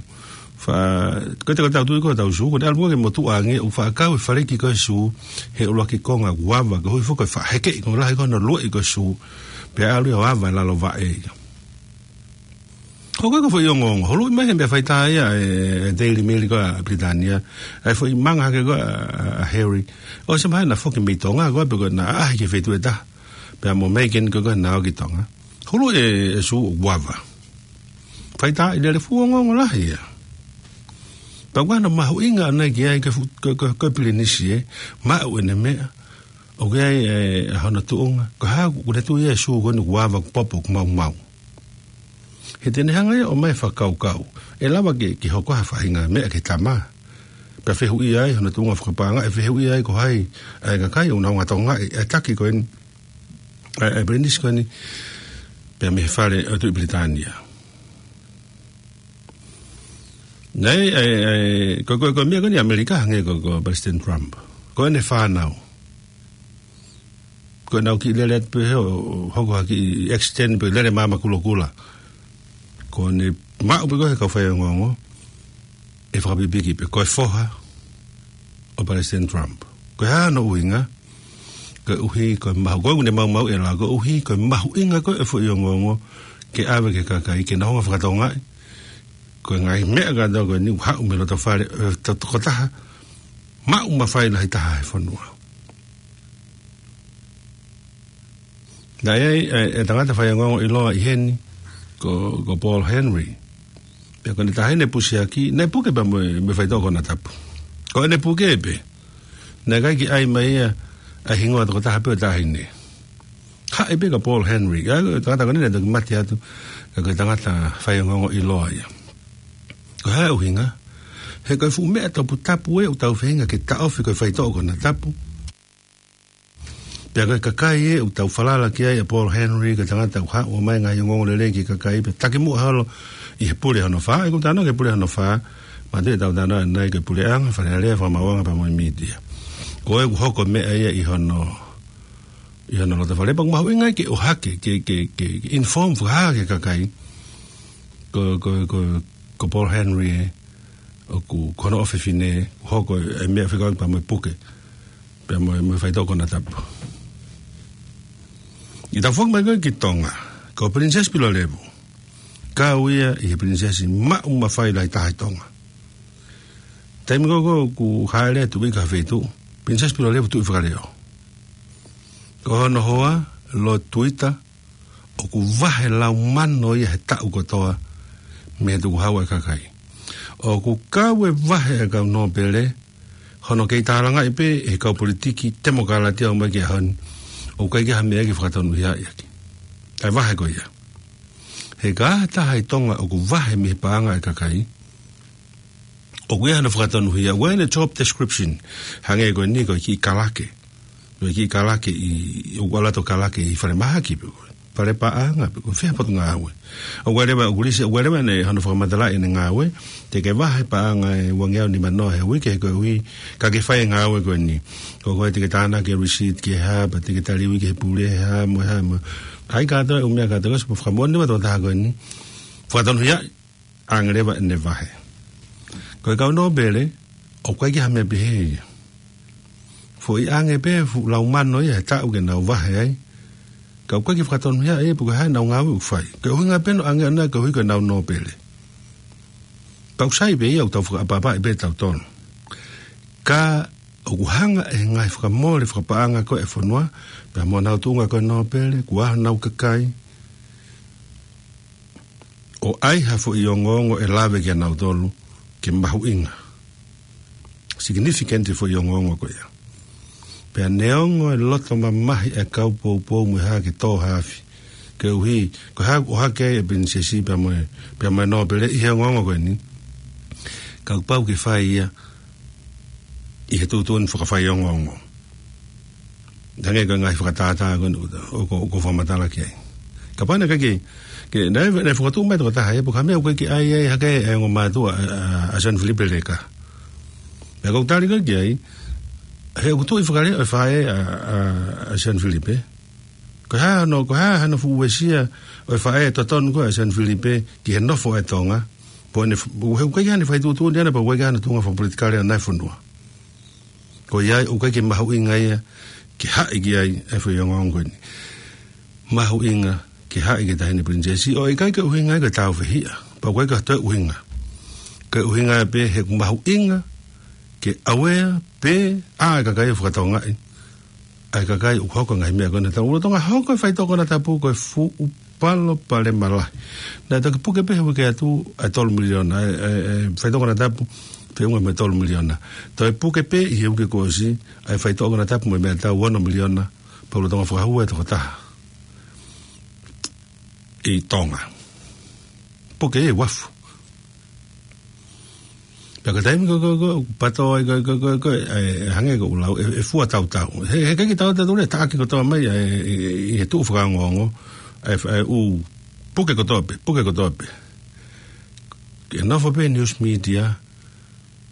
fa-, ko e te ko e tau tui ko e tau sū, ko e te ʻalu ke motuʻa ange, ʻoku faʻa kau e faliki ko e sū he ʻuluaki konga ʻoku ava, koeʻuhi foki ko e faʻa hekeʻi, ko e lahi ko hono lueʻi ko e sū, pea ʻalu ia ʻo ava e lalo vaʻe ia. Hoko ko e foʻi ongoongo, huluʻi mai he meʻa faitā ia e, e Daily Mail ko ē ʻa Pilitānia, ʻa e foʻi manga hake ko ē ʻa, ʻa Harry. ʻOsi mai naʻa foki mei Tonga ko ē, pe ko ʻena ʻaʻahi ki he feituʻu ʻe taha. Pea mo Meghan ko ē naʻa ō ki Tonga. Huluʻi e, e sū ʻoku ava. Faitā ʻi lele, fuʻu ongoongo lahi ia. Pea ʻoku ʻi ai hano mahuʻinga ʻana ki ai ko e fu-, ko e, ko e, ko e pilinisi ē, maʻu ʻene meʻa, ʻoku ʻi ai e, e hono tuʻunga, ko e hā ʻoku ne tui ai e sū ko eni ʻoku ava, ʻoku popo, ʻoku maumau. He te ne hanga ia ʻo ʻomai e fakakaukau. ʻE lava ke, ke hoko ha faʻahinga meʻa ki he tama. Pea fehuʻia ai hono tuʻunga fakapaʻanga, ʻe fehuʻia ai ko hai ʻa e kakai ʻoku nau ngāue ʻi he taki ko eni, ʻa e, ʻa e pilinisi ko eni, pea mei he fale ʻo e Tuʻi Pilitānia. Naʻe, ʻa e, ʻa e, ko, ko, ko e meʻa ko eni ʻAmelika hangē ko, ko Palesiteni Trump. Ko ʻene fānau. Ko ʻenau kiʻi lele atu pē he ʻo, ʻo hoko ha kiʻi accident pe lele maama kulokula. Ko ʻene maʻu pē ko ē he kau faiongoongo, ʻe fakapipiki pē ko e foha ʻo Palesiteni Trump. Ko e hā hono ʻuhinga? Koeʻuhi ko e mahu-, ko ʻene maumau ʻe la, koeʻuhi ko e mahuʻinga ko ē e foʻi ongoongo ke ʻave ki he kakai, ke nau hanga ʻo fakatongaʻi ko e ngaahi meʻa kātoa ko eni ʻoku haʻu mei loto fale ʻo e to-, tokotaha maʻu mafai lahi taha he fonua. Naʻe ʻi ai e, e tangata faiongoongo ʻiloa ʻi heni, ko, ko Paul Henry. Pea ko ʻene taʻahine pusiaki, naʻe puke pea mo e, mo e faitoʻo konatapu. Ko ʻene puke pē, naʻe ʻikai ke ʻai mai ia ʻa e hingoa tokotaha pē ʻo e taʻahine. Haʻi pē ko Paul Henry, ʻa e tangata ko eni naʻe toki mate atu, ka ko e tangata faiongoongo ʻiloa ia. Ko e hā e ʻuhinga? He ko e fuʻu meʻa toputapu ē ʻoku tau feinga ke taʻofi ko e faitoʻo konatapu. Pea ko e kakai ē ʻoku tau falala ki ai, ʻa Paul Henry, ko e tangata ʻoku haʻu ʻo ʻomai e ngaahi ongoongo lelei ki he kakai, pea takimuʻa holo ʻi he pule hono fā, ʻoku tau talanoa ki he pule hono fā, manatuʻi ʻetau talanoa ʻanenai ki he puleʻanga, Fale Alea, Fakamaauʻanga pea mo e mītia. Ko e ʻoku hoko e meʻa ia ʻi hono, ʻi hono loto fale, pea ʻoku mahuʻinga ai ke ʻohake, ke, ke, ke, ke inform fakahā ki he kakai. Ko, ko, ko, ko Paul Henry ē, ʻoku ko hono ʻofefine, hoko e meʻa fekauʻaki pea mo e puke, pea mo e, mo e faitoʻo konatapu. ʻI he tau foki mai ko ē ki Tonga, ko Pilinisesi Pilolevu, kau ia ʻi he pilinisesi maʻu mafai lahi taha ʻi Tonga. Taimi ko ē ʻoku hāʻele atu ʻi ha feituʻu, Pilinisesi Pilolevu tuʻi fakaleo. Ko hono hoa, Lord Tuita, ʻoku vahe lau mano ia he taʻu kotoa mei he tukuhau ʻa e kakai. ʻOku kau e vahe ʻa e kau nōpele, hono kei tālangaʻi pē ʻe he kau politiki temokalati ʻo aʻu mai ki he ʻaho ni, ʻoku ʻikai ke ʻi ai ha meʻa ke fakatonuhiaʻi ʻaki ʻa e vahe ko ia. He ka ʻi ai ha taha ʻi Tonga ʻoku vahe mei he paʻanga ʻa e kakai, ʻoku ʻi ai hano fakatonuhia, ʻoku ʻi ai ʻene job description, hangē ko eni ko e kiʻi kalake. Ko e kiʻi kalake ʻi, ʻoku ʻalu atu ʻo kalake ʻi falemahaki pē ko ē, fale paʻanga pē ko ē, fē ha potungāue. ʻOku ʻi ai leva, ʻoku lisi, ʻoku ʻi ai leva ʻene, hono fakamatalaʻi ʻene ngāue, te ke vahe paʻanga ʻe uangeau nimanoa he uike he koeʻuhi ka ke fai e ngāue ko eni. Ko koe te ke tānaki e receipt ki he hā, pea te ke tali ui ki he pule he hā mo e hā mo. ʻAi kātoa e ʻū meʻa kātoa, ko e fakamoʻoni leva tokotaha ko eni. Fakatonuhiaʻi ange leva ʻene vahe. Ko e kau nōpele, ʻoku ʻikai ke ha meʻa pehē ia. Foʻi ange pē fuʻu laumano ia he taʻu ke nau vahe ai. Ka ʻoku ʻikai ke fakatonuhiaʻi ia pe ko e hā ʻenau ngāue ʻoku fai. Ko e ʻuhinga pē ʻoku nau ange ʻana koeʻuhi ko ʻenau nōpele. Pau sai pē ia ʻoku tau fakaʻapaʻapaʻi pē tautolu. Ka ʻoku hanga ʻe he ngaahi fakamole fakapaʻanga ko ē ʻa e fonua, pea mo ʻenau tuʻunga ko e nōpele, kuo ʻi ai honau kakai, ʻo ʻai ha foʻi ongoongo ʻe lave kia nautolu ke mahuʻinga. Significant e foʻi ongoongo ko ia. Pea neongo e loto mamahi e kau poupou mo e hā ke tō ha afi. Koeʻuhi, ko e hā ʻoku ʻohake ai e pilinisesi pea mo e, pea mo e nōpele ʻi he ongoongo ko eni. Ka ʻoku pau ke fai ia ʻi he tuʻutuʻuni fakafaiongoongo. Hangē ko e ngaahi fakatātā ko eni ʻoku, ʻoku, ʻoku fakamatala ki ai. Kapau naʻe ʻikai ke, ke, naʻe, naʻe fokotuʻu mai tokotaha ia, pe ko ha meʻa ʻoku ʻikai ke ʻai ai hake e ongo mātuʻa, ʻa, ʻa, ʻa Sione Filipe Leka. Pea ʻoku ou tali ko ē ki ai, he ʻoku tuʻi fakaleʻo e faʻē ʻa, ʻa, ʻa Sione Filipe. Ko e hā hono, ko e hā hono fuʻu uesia ʻo e faʻē totonu ko ē ʻa Sione Filipe ki he nofo ʻa e Tonga. Pea ʻoku ne f-, ʻoku ʻikai ke ne fai tuʻutuʻuni ʻana pea ʻoku ʻikai ke hano tuʻunga fakapolitikale ʻana e fonua. Ko ia ai, ʻoku ʻikai ke mahuʻinga ia ke haʻi ki ai e foʻi ongoongo ko eni. Mahuʻinga ke haʻi ki he Taʻahine Pilinisesi, ʻo ʻikai ke ʻuhinga ia ke tāufehiʻa. Pea ʻoku ʻikai ke toe ʻuhinga. Ko e ʻuhinga pē he ʻoku mahuʻinga ke aware pē ʻa e kakai ʻo fakatokangaʻi. ʻA e kakai ʻoku hoko e ngaahi meʻa ko ena. Tau lolotonga hoko e faitoʻo konatapu ko e fuʻu palopalema lahi. Naʻe toki puke pē he uike atu ʻa e tolu miliona, ʻa e, ʻa e, ʻa e faitoʻo konatapu, feʻunga mo e tolu miliona. Toe puke pē ʻi he uike kuo ʻosi, ʻa e faitoʻo konatapu mo e meʻatau, ono miliona, pea lolotonga fakahū e tokotaha ʻi Tonga. Puke e uafu. Pea ko e taimi ko ē, ko ē, ko ē, ʻoku pato ai ko ē, ko ē, ko ē, ko ē, ʻe, ʻe hangē ko ʻeku lau, ʻe, ʻe fua tautau. He, he ʻikai ke tau tatau leva, taʻaki kotoa mai, ʻe, ʻe, ʻe, ʻe tuʻu fakaongoongo, ʻe, ʻe, ʻū, puke kotoa pē, puke kotoa pē. Ke nofo pē news media,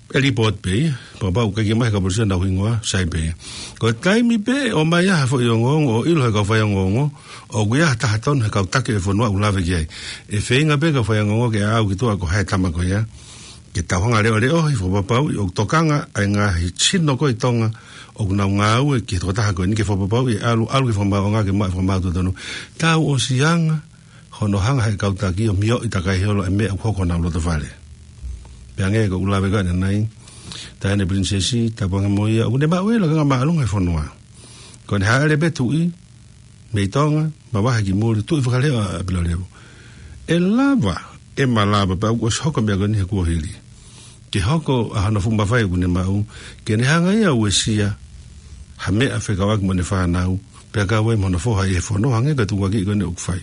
ʻe report pē ia, pea kapau ʻoku ʻikai ke maʻu ʻe he kau polisi ʻenau hingoa, sai pē ia. Ko e taimi pē ʻe ʻomai ai ha foʻi ongoongo, ʻo ʻilo ʻe he kau faiongoongo, ʻoku ʻi ai ha taha tonu he kau taki e fonua ʻoku lave ki ai. ʻE feinga pē kau faiongoongo ke ʻaʻau ki tuʻa ko hai e tama ko ia. Ke tau hanga ʻo leʻoleʻohi, fakapapauʻi ʻoku tokanga ʻa e ngaahi sino ko ē ʻi Tonga ʻoku nau ngāue ki he tokotaha ko eni ke fakapapauʻi ʻe ʻalu, ʻalu ki he fakamaauʻanga ke maʻu e fakamaau totonu. Tau ʻosi anga hono hanga ʻe he kau taki ʻo mioʻi takai holo e meʻa ʻoku hoko honau loto fale. Pea hangē ko ʻeku lave ko ē ʻanenai, Taʻahine Pilinisesi, tapu ange mo ia, ʻoku ne maʻu e lakanga māʻolunga e fonua. Ko ʻene hāʻele pē tuʻi mei Tonga, mavahe ki muli, tuʻi fakaleʻo ʻa Pilolevu. ʻE lava, ʻe malava, pea ʻoku ʻosi hoko e meʻa ko eni he kuohili. Ke hoko ʻa hono fuʻu mafai ʻoku ne maʻu, ke ne hanga ia ʻo uesia ha meʻa fekauʻaki mo ʻene fānau, pea kau ai mo hono foha ʻi he fono, hangē ko e tukuakiʻi ko eni ʻoku fai.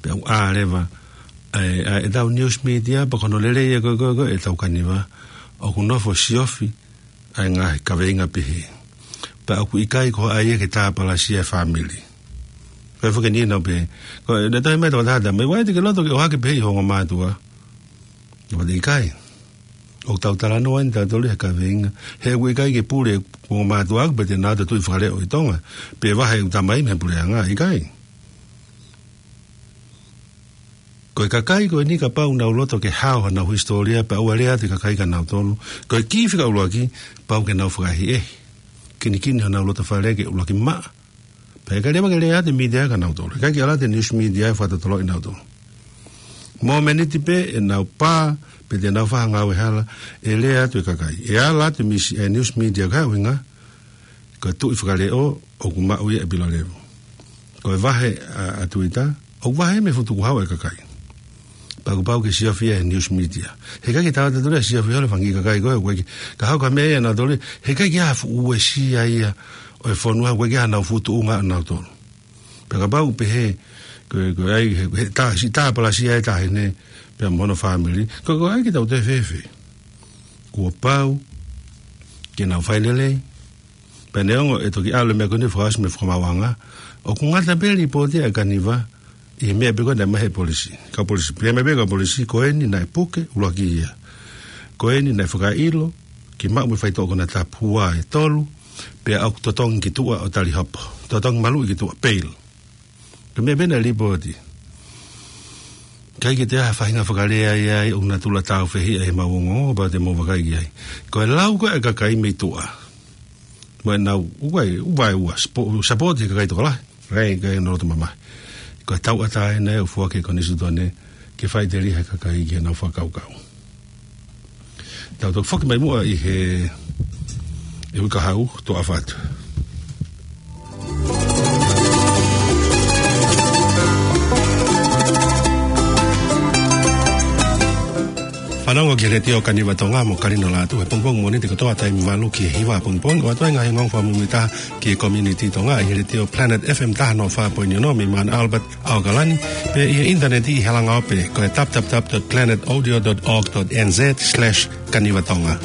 Pea ʻoku ʻā leva ʻa e, ʻa e, ʻetau news media, pea ko hono lelei ia ko ē, ko ē, ko ē ʻetau kaniva, ʻoku nofo siofi ʻa e ngaahi kaveinga pehē. Pea ʻoku ʻikai ko ha ʻai ia ke tāpalasia e fāmili. Ko e fakeni nau pehē. Ko e, naʻe talamai ʻe he tokotaha, mei vai te ke loto ke ʻohake pehē ʻi ho ongo mātuʻa. Ka pea te ʻikai. ʻOku tau talanoa eni tautolu he kaveinga. He ʻoku ʻikai ke pule e ongo mātuʻa ʻaʻaku pea te nau ō ʻo tuʻi fakaleʻo ʻi Tonga. Pe vahe ʻeku tamai mei he puleʻanga, ʻikai. Ko e kakai ko eni kapau ʻoku nau loto ke hao honau hisitōlia pea ʻoua ʻe lea atu e kakai kia nautolu. Ko e kī fika ʻuluaki, pau ke nau fakaʻehiʻehi. Kinikini honau loto fale ke ʻuluaki maʻa. Pea ʻikai leva ke lea atu e mītia kia nautolu. ʻIkai ke ʻalu atu e news media ʻo fakatotoloʻi nautolu. Mōmeniti pē ʻenau pā, pe te nau fai ha ngāue hala, ʻe lea atu e kakai. ʻE ala atu e misi-, e news media ko e ʻuhinga, ko e tuʻi fakaleʻo ʻoku maʻu ia ʻe Pilolevu. Ko e vahe ʻa, ʻa Tuita, ʻoku vahe mei he fuʻu tukuhau ʻa e kakai. Pea ʻoku pau ke siofi ia he news media. He ʻikai ke tau tatau leva siofi holo e fanga kiʻi kakai ko ē, ʻoku ʻikai ke, ka hoko e meʻa ia ʻanautolu, he ʻikai ke ʻi ai ha fuʻu uesia ia ʻo e fonua, ʻoku ʻikai ke ʻi ai hanau fuʻu tuʻunga ʻanautolu. Pea kapau ʻoku pehē, ko e, ko e ʻai, he, he tā, siʻi tāpalasia e taʻahine, pea mo hono fāmili, ko e, ko e ʻai ke tau toe fēfē. Kuo pau ke nau fai lelei, Pea neongo ʻe toki ʻalu e meʻa ko eni ʻo fakaʻosi mo e fakamaauʻanga, ʻoku ngata pē e lipooti ʻa e Kaniva ʻi he meʻa pē ko ē naʻe ʻomai ʻe he polisi. Kau polisi, pehē mai pē kau polisi, ko eni naʻe puke, ʻuluaki ia. Ko eni naʻe fakaʻilo, ke maʻu mei he faitoʻo konatapu. Ua, ʻe tolu, pea ʻoku totongi ki tuʻa ʻo tali hopo. Totongi maluʻi ki tuʻa, bail. Ko e meʻa pē naʻe lipooti. ʻIkai ke toe ʻi ai ha faʻahinga fakalea ia ai ʻoku natula tāufehiʻa ʻi heʻemau ongoongo, pea te mou vakai ki ai. Ko e lau ko ē ʻa e kakai mei tuʻa, mo ʻenau, ʻoku ʻi ai, ʻoku ʻi ai ʻa e spo-, support ʻa e kakai tokolahi. Kae, kae ʻi ai ʻenau loto mamahi. Ko e tauʻatāina ʻoku foaki ʻe he konisitūtone ke faʻiteliha e kakai ki heʻenau fakakaukau. Tau toki foki mai muʻa ʻi he, ʻi he uike kahaʻu, toʻa ʻofa atu. Fanongo ki he Letiō Kaniva Tonga mo Kalino Lātū he pongipongi Mōnite kotoa taimi valu ki he hiva pongipongi, ʻo ʻoatu ai e ngaahi ongoongo fakamuimuitaha ki he community Tonga ʻi he Letiō Planet F M taha noa fā poini ono mei Mount Albert, ʻAokalani, pea ʻi he ʻinitaneti ʻi he langaope ko e w w w dot planet audio dot org dot n z slash kanivatonga.